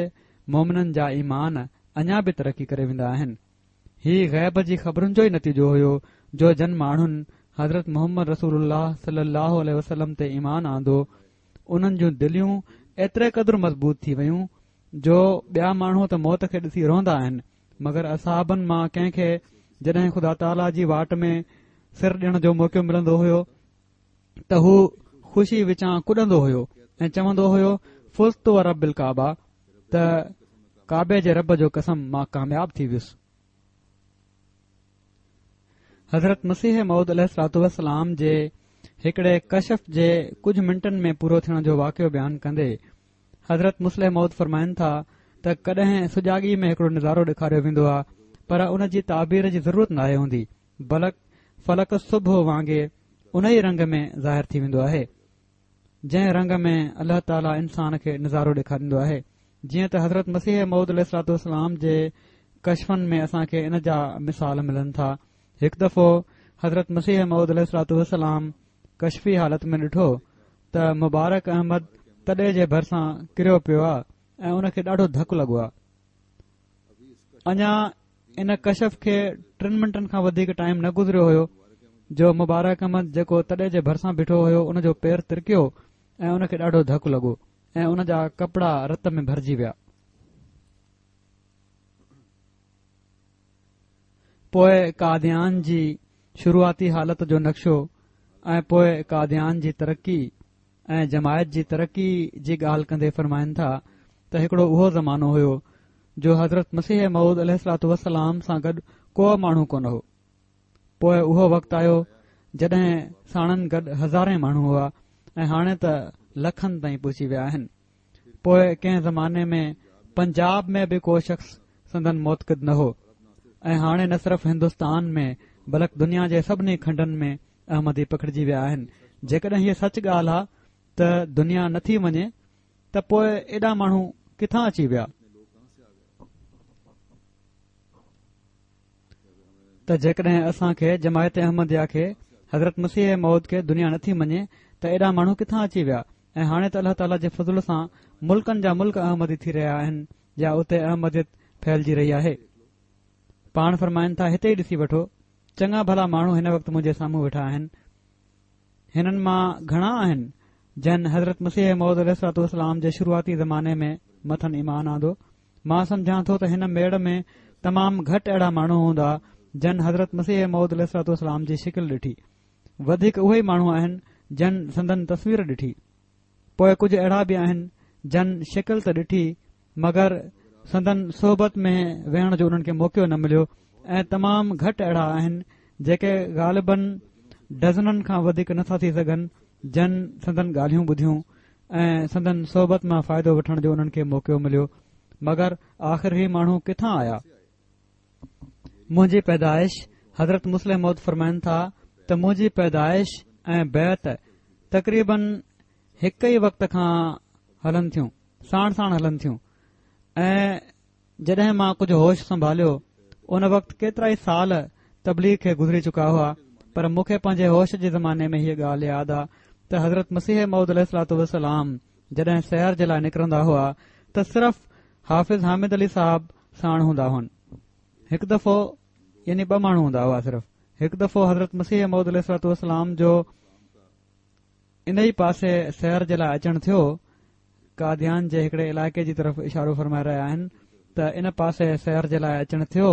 مومنن جا ايمان اڃا به ترقي ڪري ويندا آهن. هي غيب جي خبرن جو ئي نتيجو هيو جو جن ماڻهن حضرت محمد رسول الله صلي الله عليه وسلم تي ايمان آندو، انهن جون دليون ايتري قدر مضبوط ٿي ويون جو ٻيا ماڻهو ته موت کي ڏسي روئندا آهن، مگر اصحابن مان ڪنهن کي جڏهن خدا تعاليٰ جي واٽ ۾ سر ڏيڻ جو موقعو ملندو هيو ته هو خوشي وچان ڪڏندو هيو ۽ چوندو هيو، فزت و رب الڪعبه، ته ڪعبي جي رب جو قسم مان ڪامياب ٿي ويس. حضرت مسيح موعود عليه الصلوة والسلام جي هڪڙي ڪشف جي ڪجهه منٽن ۾ پورو ٿيڻ جو واقعو بيان ڪندي حضرت مصلح موعود فرمائن ٿا ته ڪڏهن سجاڳي ۾ هڪڙو نظارو ڏيکاريو ويندو آ، پر ان جي تعبير جي ضرورت ناهي هوندي، بلڪ فلڪ صبح وانگي ان ئي رنگ ۾ ظاهر ٿي ويندو آهي جنهن رنگ ۾ الله تعاليٰ انسان کي نظارو ڏيکاريندو آهي. جيئن ته حضرت مسيح موعود عليه الصلوة والسلام جي ڪشفن ۾ اسان کي ان جا مثال ملن ٿا. هڪ دفعو حضرت مسيح موعود عليه الصلوة والسلام ڪشفي حالت ۾ ڏٺو ته مبارڪ احمد تڏي جي ڀرسان ڪريو پيو آ ۽ ان کي ڏاڍو ڌڪ لڳو آ. اڃا ان ڪشف کي ٽن منٽن کان وڌيڪ ٽائيم نه گذريو هيو جو مبارڪ احمد جيڪو تڏي جي ڀرسان بيٺو هيو ان جو پير ترڪيو ۽ ان کي ڏاڍو ڌڪ لڳو ۽ ان جا ڪپڙا رت ۾ ڀرجي ويا. پوءِ قاديان جي شروعاتي حالت جو نقشو ۽ پوءِ قاديان جي ترقي ۽ جماعت جي ترقي جي ڳالهه ڪندي فرمائن ٿا ته هڪڙو اهو زمانو هيو جو حضرت مسيح موعود عليه الصلوة والسلام سان گڏ ڪو ماڻهو ڪونه هو. پوءِ اهو وقت آيو جڏهن ساڻن گڏ هزارين ماڻهو هئا ۽ هاڻي ته لکن تائين پهچي ويا آهن. پوءِ ڪنهن زماني ۾ پنجاب ۾ به ڪو شخص سندن معتقد نه هو ۽ هاڻي نه صرف هندستان ۾ بلڪ دنيا جي سڀني کنڊن ۾ احمدي پکڙجي ويا آهن. جيڪڏهن هيءَ سچ ڳالهه آهي ته دنيا نٿي وڃي ته پوءِ ايڏا ماڻهو ڪٿان اچي ويا؟ ته جيڪڏهن اسان کي جماعت احمديه کي حضرت مسيح موعود کي دنيا نٿي مڃي ته ايڏا ماڻهو ڪٿان اچي ويا؟ ۽ هاڻي ته الله تعاليٰ جي فضل سان ملڪن جا ملڪ احمدي ٿي رهيا آهن يا اتي احمديت ڦهلجي رهي آهي. پاڻ فرمائن ٿا هتي ئي ڏسي وٺو، چڱا ڀلا ماڻهو هن وقت منهنجي سامهون ويٺا آهن. هنن مان گهڻا آهن جن حضرت مسيح موعود عليه الصلوة والسلام جي شروعاتي زماني ۾ مٿن ايمان آندو. مان سمجهان ٿو ته هن ميڙ ۾ تمام گهٽ اهڙا ماڻهو هوندا جن حضرت مسيح موعود عليه الصلوة والسلام جي شڪل ڏٺي. وڌيڪ اهي ئي ماڻهو آهن جن سندن تصوير ڏٺي. پوءِ ڪجهه اهڙا به آهن جن شڪل ته ڏٺي مگر سندن صحبت ۾ ويهڻ جو انهن کي موقعو نه مليو ۽ تمام گهٽ اهڙا آهن جيڪي غالباً ڊزنن کان وڌيڪ نٿا ٿي سگهن جن سندن ڳالهيون ٻڌيون ۽ سندن صحبت مان فائدو وٺڻ جو انهن کي موقعو مليو. مگر آخر هي ماڻهو ڪٿان آيا؟ منهنجي پيدائش، حضرت مصلح موعود فرمائن ٿا ته منهنجي پيدائش ۽ بيعت تقريبن هڪ ئي وقت کان هلن ٿيون، ساڻ ساڻ هلن ٿيون. ۽ جڏهن مان ڪجهه هوش سنڀاليو ان وقت ڪيترا ئي سال تبليغ کي گذري چڪا هئا، پر مون کي پنهنجي هوش جي زماني ۾ هيءَ ڳالهه ياد آهي ته حضرت مسيح موعود عليه الصلوة والسلام جڏهن سير جي لاءِ نڪرندا هئا ته صرف حافظ حامد علي صاحب ساڻ هوندا هئن. هڪ دفعو يعني ٻه ماڻهو هوندا هئا صرف. هڪ دفعو حضرت مسيح موعود عليه الصلوة والسلام جو ان ئي پاسي سير جي لاءِ اچڻ ٿيو. قاديان جي هڪڙي علائقي جي طرف اشارو فرمائي رهيا آهن ته ان پاسي سير جي لاءِ اچڻ ٿيو.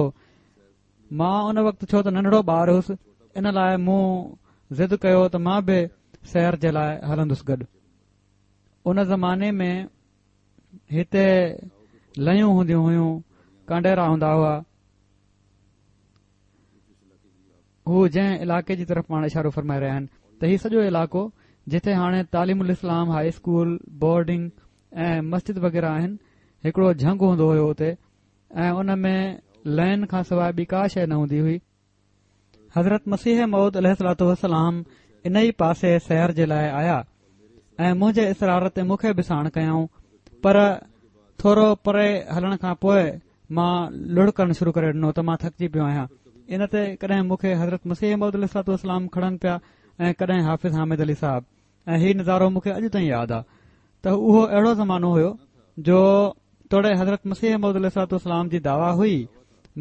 مان ان وقت ڇو ته ننڍڙو ٻار هئس، ان لاءِ مون ضد ڪيو ته مان به سير جي لاءِ هلندس گڏ. ان زماني ۾ هتي ليون هونديون هيون، ڪانڊيرا هوندا هئا. هو جنهن علائقي جي طرف پاڻ اشارو فرمائي رهيا آهن ته هي سڄو علائقو جتي هاڻي تعليم الاسلام هائي اسڪول، بورڊنگ ۽ مسجد وغيره آهن، هڪڙو جهنگ هوندو هيو اتي ۽ ان ۾ لين کان سواءِ ٻي ڪا شيءِ نه هوندي هئي. حضرت مسيح موعود عليه الصلوة والسلام ان ئي پاسي سير جي لاءِ آيا ۽ منهنجي اصرار تي مون کي به ساڻ ڪيائون. پر ٿورو پري هلڻ کان پوءِ مان لڙ ڪرڻ شروع ڪري ڏنو ته مان ٿڪجي پيو آهيان. ان تي ڪڏهن مون کي حضرت مسيح موعود عليه الصلوة والسلام کڻن پيا ۽ ڪڏهن حافظ حامد علي صاحب. ۽ هي نظارو مون کي اڄ تائين ياد آهي ته اهو اهڙو زمانو هيو جو توڙي حضرت مسيح موعود عليه الصلوة والسلام جي دعويٰ هئي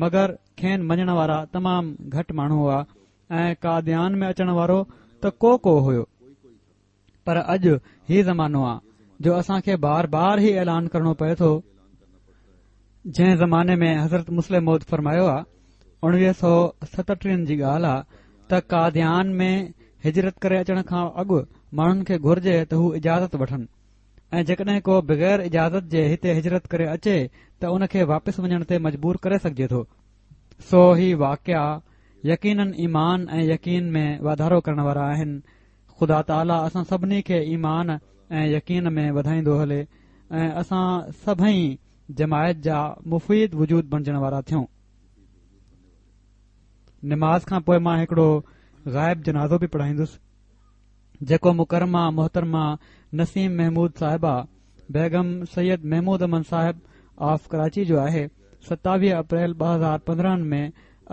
مگر کين مڃڻ وارا تمام گهٽ ماڻهو هئا ۽ قاديان ۾ اچڻ وارو ته ڪو ڪو هيو. پر اڄ هي زمانو آهي جو اسان کي بار بار هي اعلان ڪرڻو پئي ٿو. جنهن زماني ۾ حضرت مصلح موعود فرمايو آهي، اڻويهه سؤ ستٽيهن جي ڳالهه آهي ته قاديان ۾ هجرت ڪري اچڻ کان اڳ ماڻهن کي گهرجي ته هو اجازت وٺن ۽ جيڪڏهن ڪو بغير اجازت جي هتي هجرت ڪري اچي ته ان کي واپس وڃڻ تي مجبور ڪري سگهجي ٿو. سو هي واقعا يقينن ايمان ۽ يقين ۾ واڌارو ڪرڻ وارا آهن. خدا تعاليٰ اسان سڀني کي ايمان ۽ يقين ۾ وڌائيندو هلي ۽ اسان سڀئي جماعت جا مفيد وجود بڻجڻ وارا ٿيون. نماز کان پوءِ مان هڪڙو غائب جنازو به پڙهائيندس جيڪو مڪرمه محترمه نسيم محمود صاحبه بيگم سيد محمود احمد صاحب آف ڪراچي جو آهي. ستاويهه اپريل ٻه هزار پندرهن ۾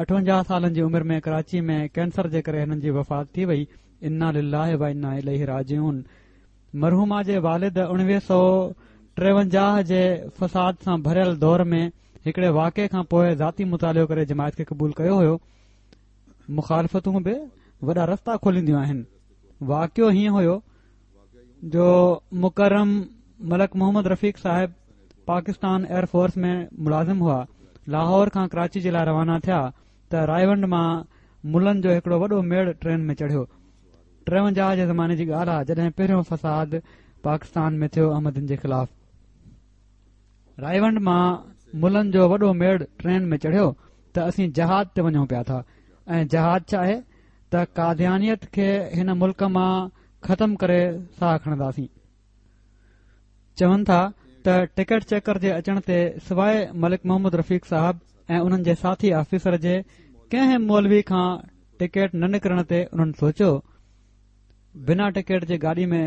اٺونجاهه سالن جي عمر ۾ ڪراچي ۾ ڪينسر جي ڪري هنن جي وفات ٿي وئي. انا لله و انا اليه راجعون. مرحومه جي والد اڻويهه سؤ ٽيونجاهه جي فساد سان ڀريل دور ۾ هڪڙي واقعي کان پوءِ ذاتي مطالعو ڪري جماعت کي قبول ڪيو هيو. مخالفتون به وڏا رستا کولينديون آهن. واقعو هيئن هيو جو مڪرم ملڪ محمد رفيق صاحب پاڪستان ايئر فورس ۾ ملازم هئا. لاهور کان ڪراچي جي لاءِ روانا ٿيا ته رائيونڊ مان ملن جو هڪڙو وڏو ميڙ ٽرين ۾ چڙهيو. ٽيونجاهه جي زماني جي ڳالهه آهي جڏهن پهريون فساد پاڪستان ۾ ٿيو احمدين جي خلاف. رائيونڊ مان ملن جو وڏو ميڙ ٽرين ۾ چڙهيو ته اسين جهاد تي وڃون پيا ٿا ۽ جهاد ڇا آهي ته قاديانيت کي هن ملڪ مان ختم ڪري ساهه کڻنداسين. چون ٿا ته ٽڪيٽ چيڪر جي اچڻ تي سواءِ ملڪ محمد رفيق صاحب ۽ انهن جي ساٿي آفيسر جي ڪنهن مولوي کان ٽڪيٽ نه نڪرڻ تي انهن سوچيو بنا ٽڪيٽ جي گاڏي ۾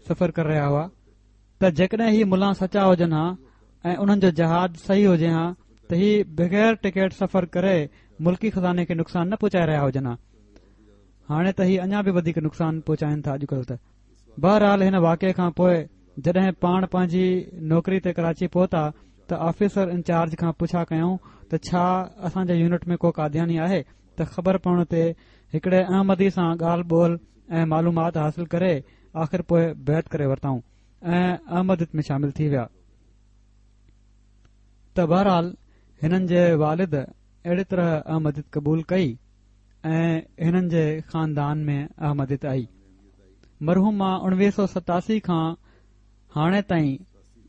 سفر ڪري رهيا هئا ته جيڪڏهن هي ملا سچا هجن ها ۽ انهن جو جهاد صحيح هجي ها ته هي بغير ٽڪيٽ سفر ڪري ملڪي خزاني کي نقصان نه پهچائي رهيا هجن ها. هاڻي ته هي اڃا به وڌيڪ نقصان پهچائين ٿا اڄڪلهه ته. بهرحال هن واقعي کان پوءِ جڏهن پاڻ پنهنجي نوڪري تي ڪراچي پهتا ته آفيسر انچارج کان پڇا ڪيائون ته ڇا اسان جي يونٽ ۾ ڪو قادياني آهي ته خبر پوڻ تي هڪڙي احمدي سان ڳالهه ٻولهه ۽ معلومات حاصل ڪري آخر پوءِ بيعت ڪري ورتائون ۽ احمديت ۾ شامل ٿي ويا. ته بهرحال هنن جي والد اهڙي طرح احمديت قبول ڪئي ۽ هنن جي خاندان ۾ احمديت آئي. مرحومه اڻويهه سؤ ستاسي کان هاڻي تائين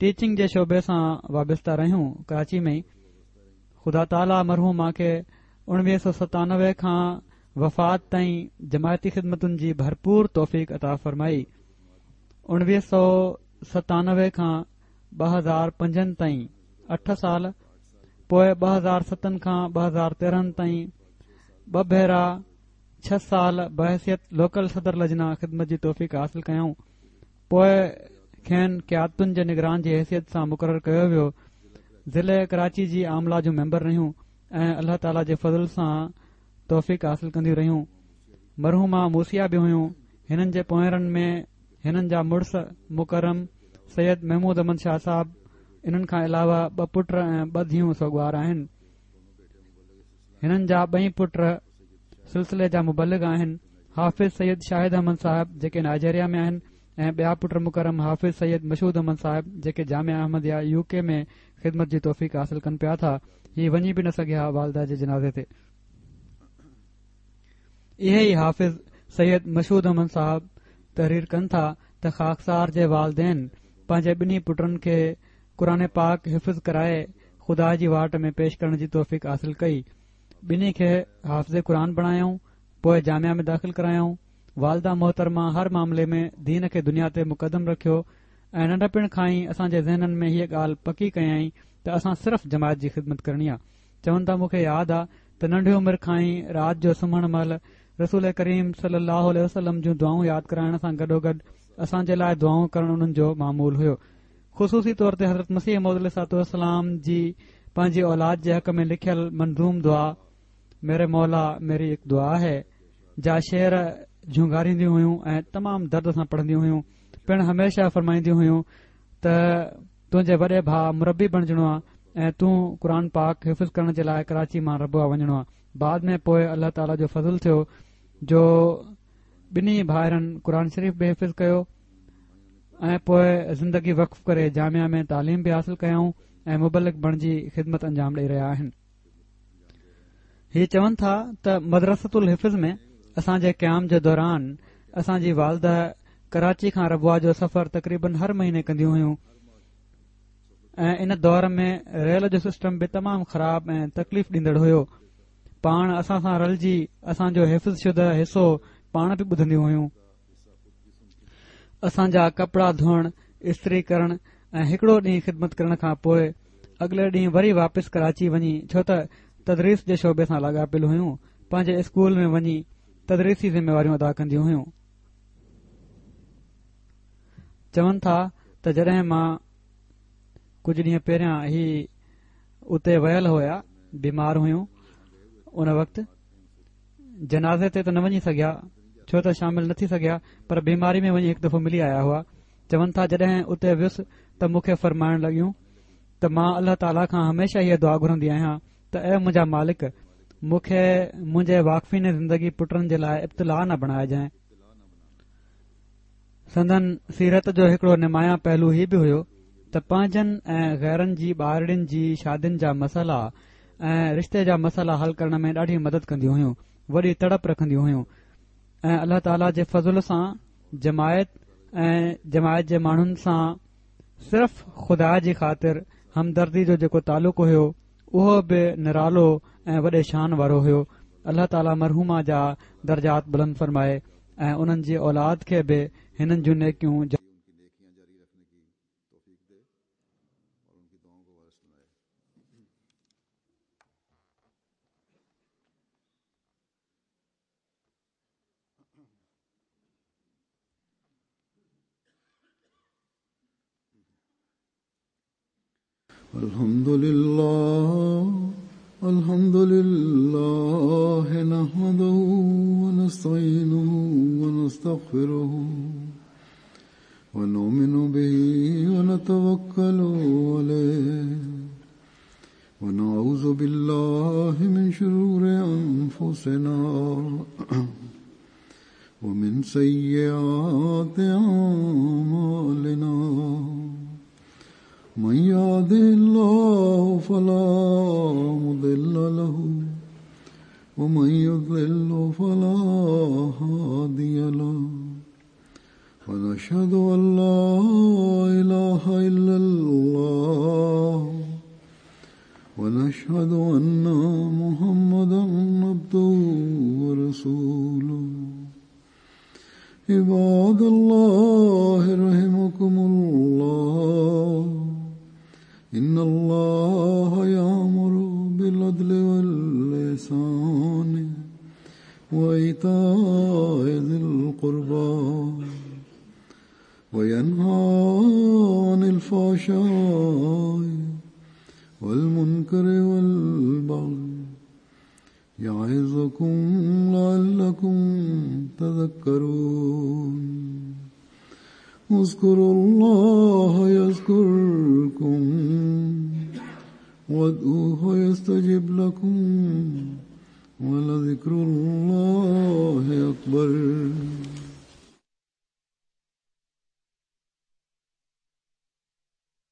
ٽيچنگ جي شعبي سان وابسته رهيون ڪراچي ۾ ئي. خدا تعاليٰ مرحومه کي اڻويهه سؤ ستانوي کان وفات تائين جماعتي خدمتن جي ڀرپور توفيق عطا فرمائي. اڻويهه سؤ ستانوي کان ٻه هزار پنجن تائين اٺ سال، پوءِ ٻه هزار ستن کان ٻه هزار تيرهن تائين ٻه ڀيرا ڇهه سال بحيثيت لوڪل صدر لجنا خدمت جي توفيق حاصل ڪيائون. پوءِ کين قيادتن جي نگران جي حيثيت سان مقرر ڪيو ويو. ضلعي ڪراچي جي عامله جون ميمبر رهيون ۽ الله تعاليٰ جي فضل سان توفيق حاصل ڪنديون رهيون. مرحومه موسيا به هيون. هنن جي پوئرن ۾ هنن جا مڙس مڪرم سيد محمود احمد شاهه صاحب، انهن کان علاوه ٻه پٽ ۽ ٻه ڌيئون سوڳوار آهن. هنن جا ٻئي پٽ سلسلي جا مبلغ آهن، حافظ سيد شاهد احمد صاحب جيڪي نائجيريا ۾ آهن ۽ ٻيا پٽ مڪرم حافظ سيد مشهود احمد صاحب جيڪي جامعه احمديه يو ڪي ۾ خدمت جي توفيق حاصل ڪن پيا ٿا. هي وڃي به نه سگهيا والده جي جنازي تي. اهي ئي حافظ سيد مشهود احمد صاحب تحرير ڪن ٿا ته خاڪسار جي والدين پنهنجي ٻنهي پٽن کي قرآن پاڪ حفظ ڪرائي خدا جي واٽ ۾ پيش ڪرڻ جي توفيق حاصل ڪئي. ٻنهي کي حافظ قرآن بڻايائون، پوءِ جامعه ۾ داخل ڪرايائون. والده محترمه هر معاملي ۾ دين کي دنيا تي مقدم رکيو ۽ ننڍپڻ کان ئي اسان جي ذهنن ۾ هيءَ ڳالهه پڪي ڪيائين ته اسان صرف جماعت جي خدمت ڪرڻي آهي. چون ٿا مون کي ياد آهي ته ننڍي عمر کان ئي رات جو سمهڻ مهل رسول ڪريم صلي الله عليه وسلم جون دعائون ياد ڪرائڻ سان گڏوگڏ اسان جي لاءِ دعائون ڪرڻ انهن جو معمول هيو. خصوصي طور تي حضرت مسيح موعود عليه الصلوة والسلام جي پنهنجي اولاد جي حق ۾ لکيل منظوم دعا ميري مولا ميري هڪ دعا آهي جا شعر جهونگارينديون هيون ۽ تمام درد سان پڙهنديون هيون. پڻ هميشه فرمائينديون هيون ته تنهنجي وڏي ڀاءُ مربي بڻجڻو آهي ۽ تون قرآن پاڪ حفظ ڪرڻ جي لاءِ ڪراچي مان ربوه وڃڻو آهي. بعد ۾ پوءِ الله تعاليٰ جو فضل ٿيو جو ٻنهي ڀائرن قرآن شريف به حفظ ڪيو ۽ پوءِ زندگي وقف ڪري جامعه ۾ تعليم به حاصل ڪيائون ۽ مبلغ بڻجي خدمت انجام ڏيئي رهيا آهن. هي چون ٿا ته مدرسة الحفظ ۾ اسان جي قيام جي دوران اسان جي والده ڪراچي کان ربوه جو سفر تقريبن هر مهيني ڪنديون هيون ۽ ان دور ۾ ريل جو سسٽم به تمام خراب ۽ تڪليف ڏيندڙ هيو. پاڻ اسان سان رلجي اسان جو حفظ شده حصو پاڻ به ٻڌنديون هيون. اسان جا ڪپڙا ڌوئڻ، استري ڪرڻ ۽ هڪڙو ڏينهن خدمت ڪرڻ کان پوءِ اڳلي ڏينهن وري واپس ڪراچي وڃي، ڇو ته تدريس جي شعبي سان لاڳاپيل هيون، پنهنجي اسڪول ۾ وڃي تدريسي ذميواريون ادا ڪنديون هيون. چون ٿا ته جڏهن مان ڪجهه ڏينهن پهريان هي اتي ويل هئا، بيمار هيون، ان وقت جنازي تي ته نه وڃي سگهيا ڇو ته شامل نه ٿي سگهيا، پر بيماري ۾ وڃي هڪ دفعو ملي آيا هئا. چون ٿا جڏهن اتي ويس ته مون کي فرمائڻ لڳيون ته مان الله تعاليٰ کان هميشه هيءَ دعا گهرندي آهيان ته اي منهنجا مالڪ، مون کي منهنجي واقفين زندگي پٽن جي لاءِ ابتلا نه بڻائجانءِ. سندن سيرت جو هڪڙو نمايان پهلو هي به هيو ته پنهنجن ۽ غيرن جي ٻارڙين جي شادين جا مسئلا ۽ رشتي جا مسئلا حل ڪرڻ ۾ ڏاڍي مدد ڪنديون هيون، وڏي تڙپ رکنديون هيون ۽ الله تعاليٰ جي فضل سان جماعت ۽ جماعت جي ماڻهن سان صرف خدا جي خاطر همدردي جو جيڪو تعلق هيو اهو به نرالو ۽ وڏي شان وارو هيو. الله تعاليٰ مرحومه جا درجات بلند فرمائي ۽ انهن جي اولاد کي به هنن جون نيڪيون الحمد لله الحمد لله نحمده ونستعينه ونستغفره ونؤمن به ونتوكل عليه ونعوذ بالله من شرور أنفسنا ومن سيئات أعمالنا من يهده الله فلا مضل له ومن يضلل فلا هادي له ونشهد أن لا إله إلا الله ونشهد أن محمدا عبده ورسوله. عباد الله رحمكم الله، إن الله يأمر بالعدل والإحسان وإيتاء ذي القربى وينهى عن الفحشاء والمنكر والبغي يعظكم لعلكم تذكرون. اذكروا الله يذكركم وادعوه يستجب لكم ولذكر الله أكبر.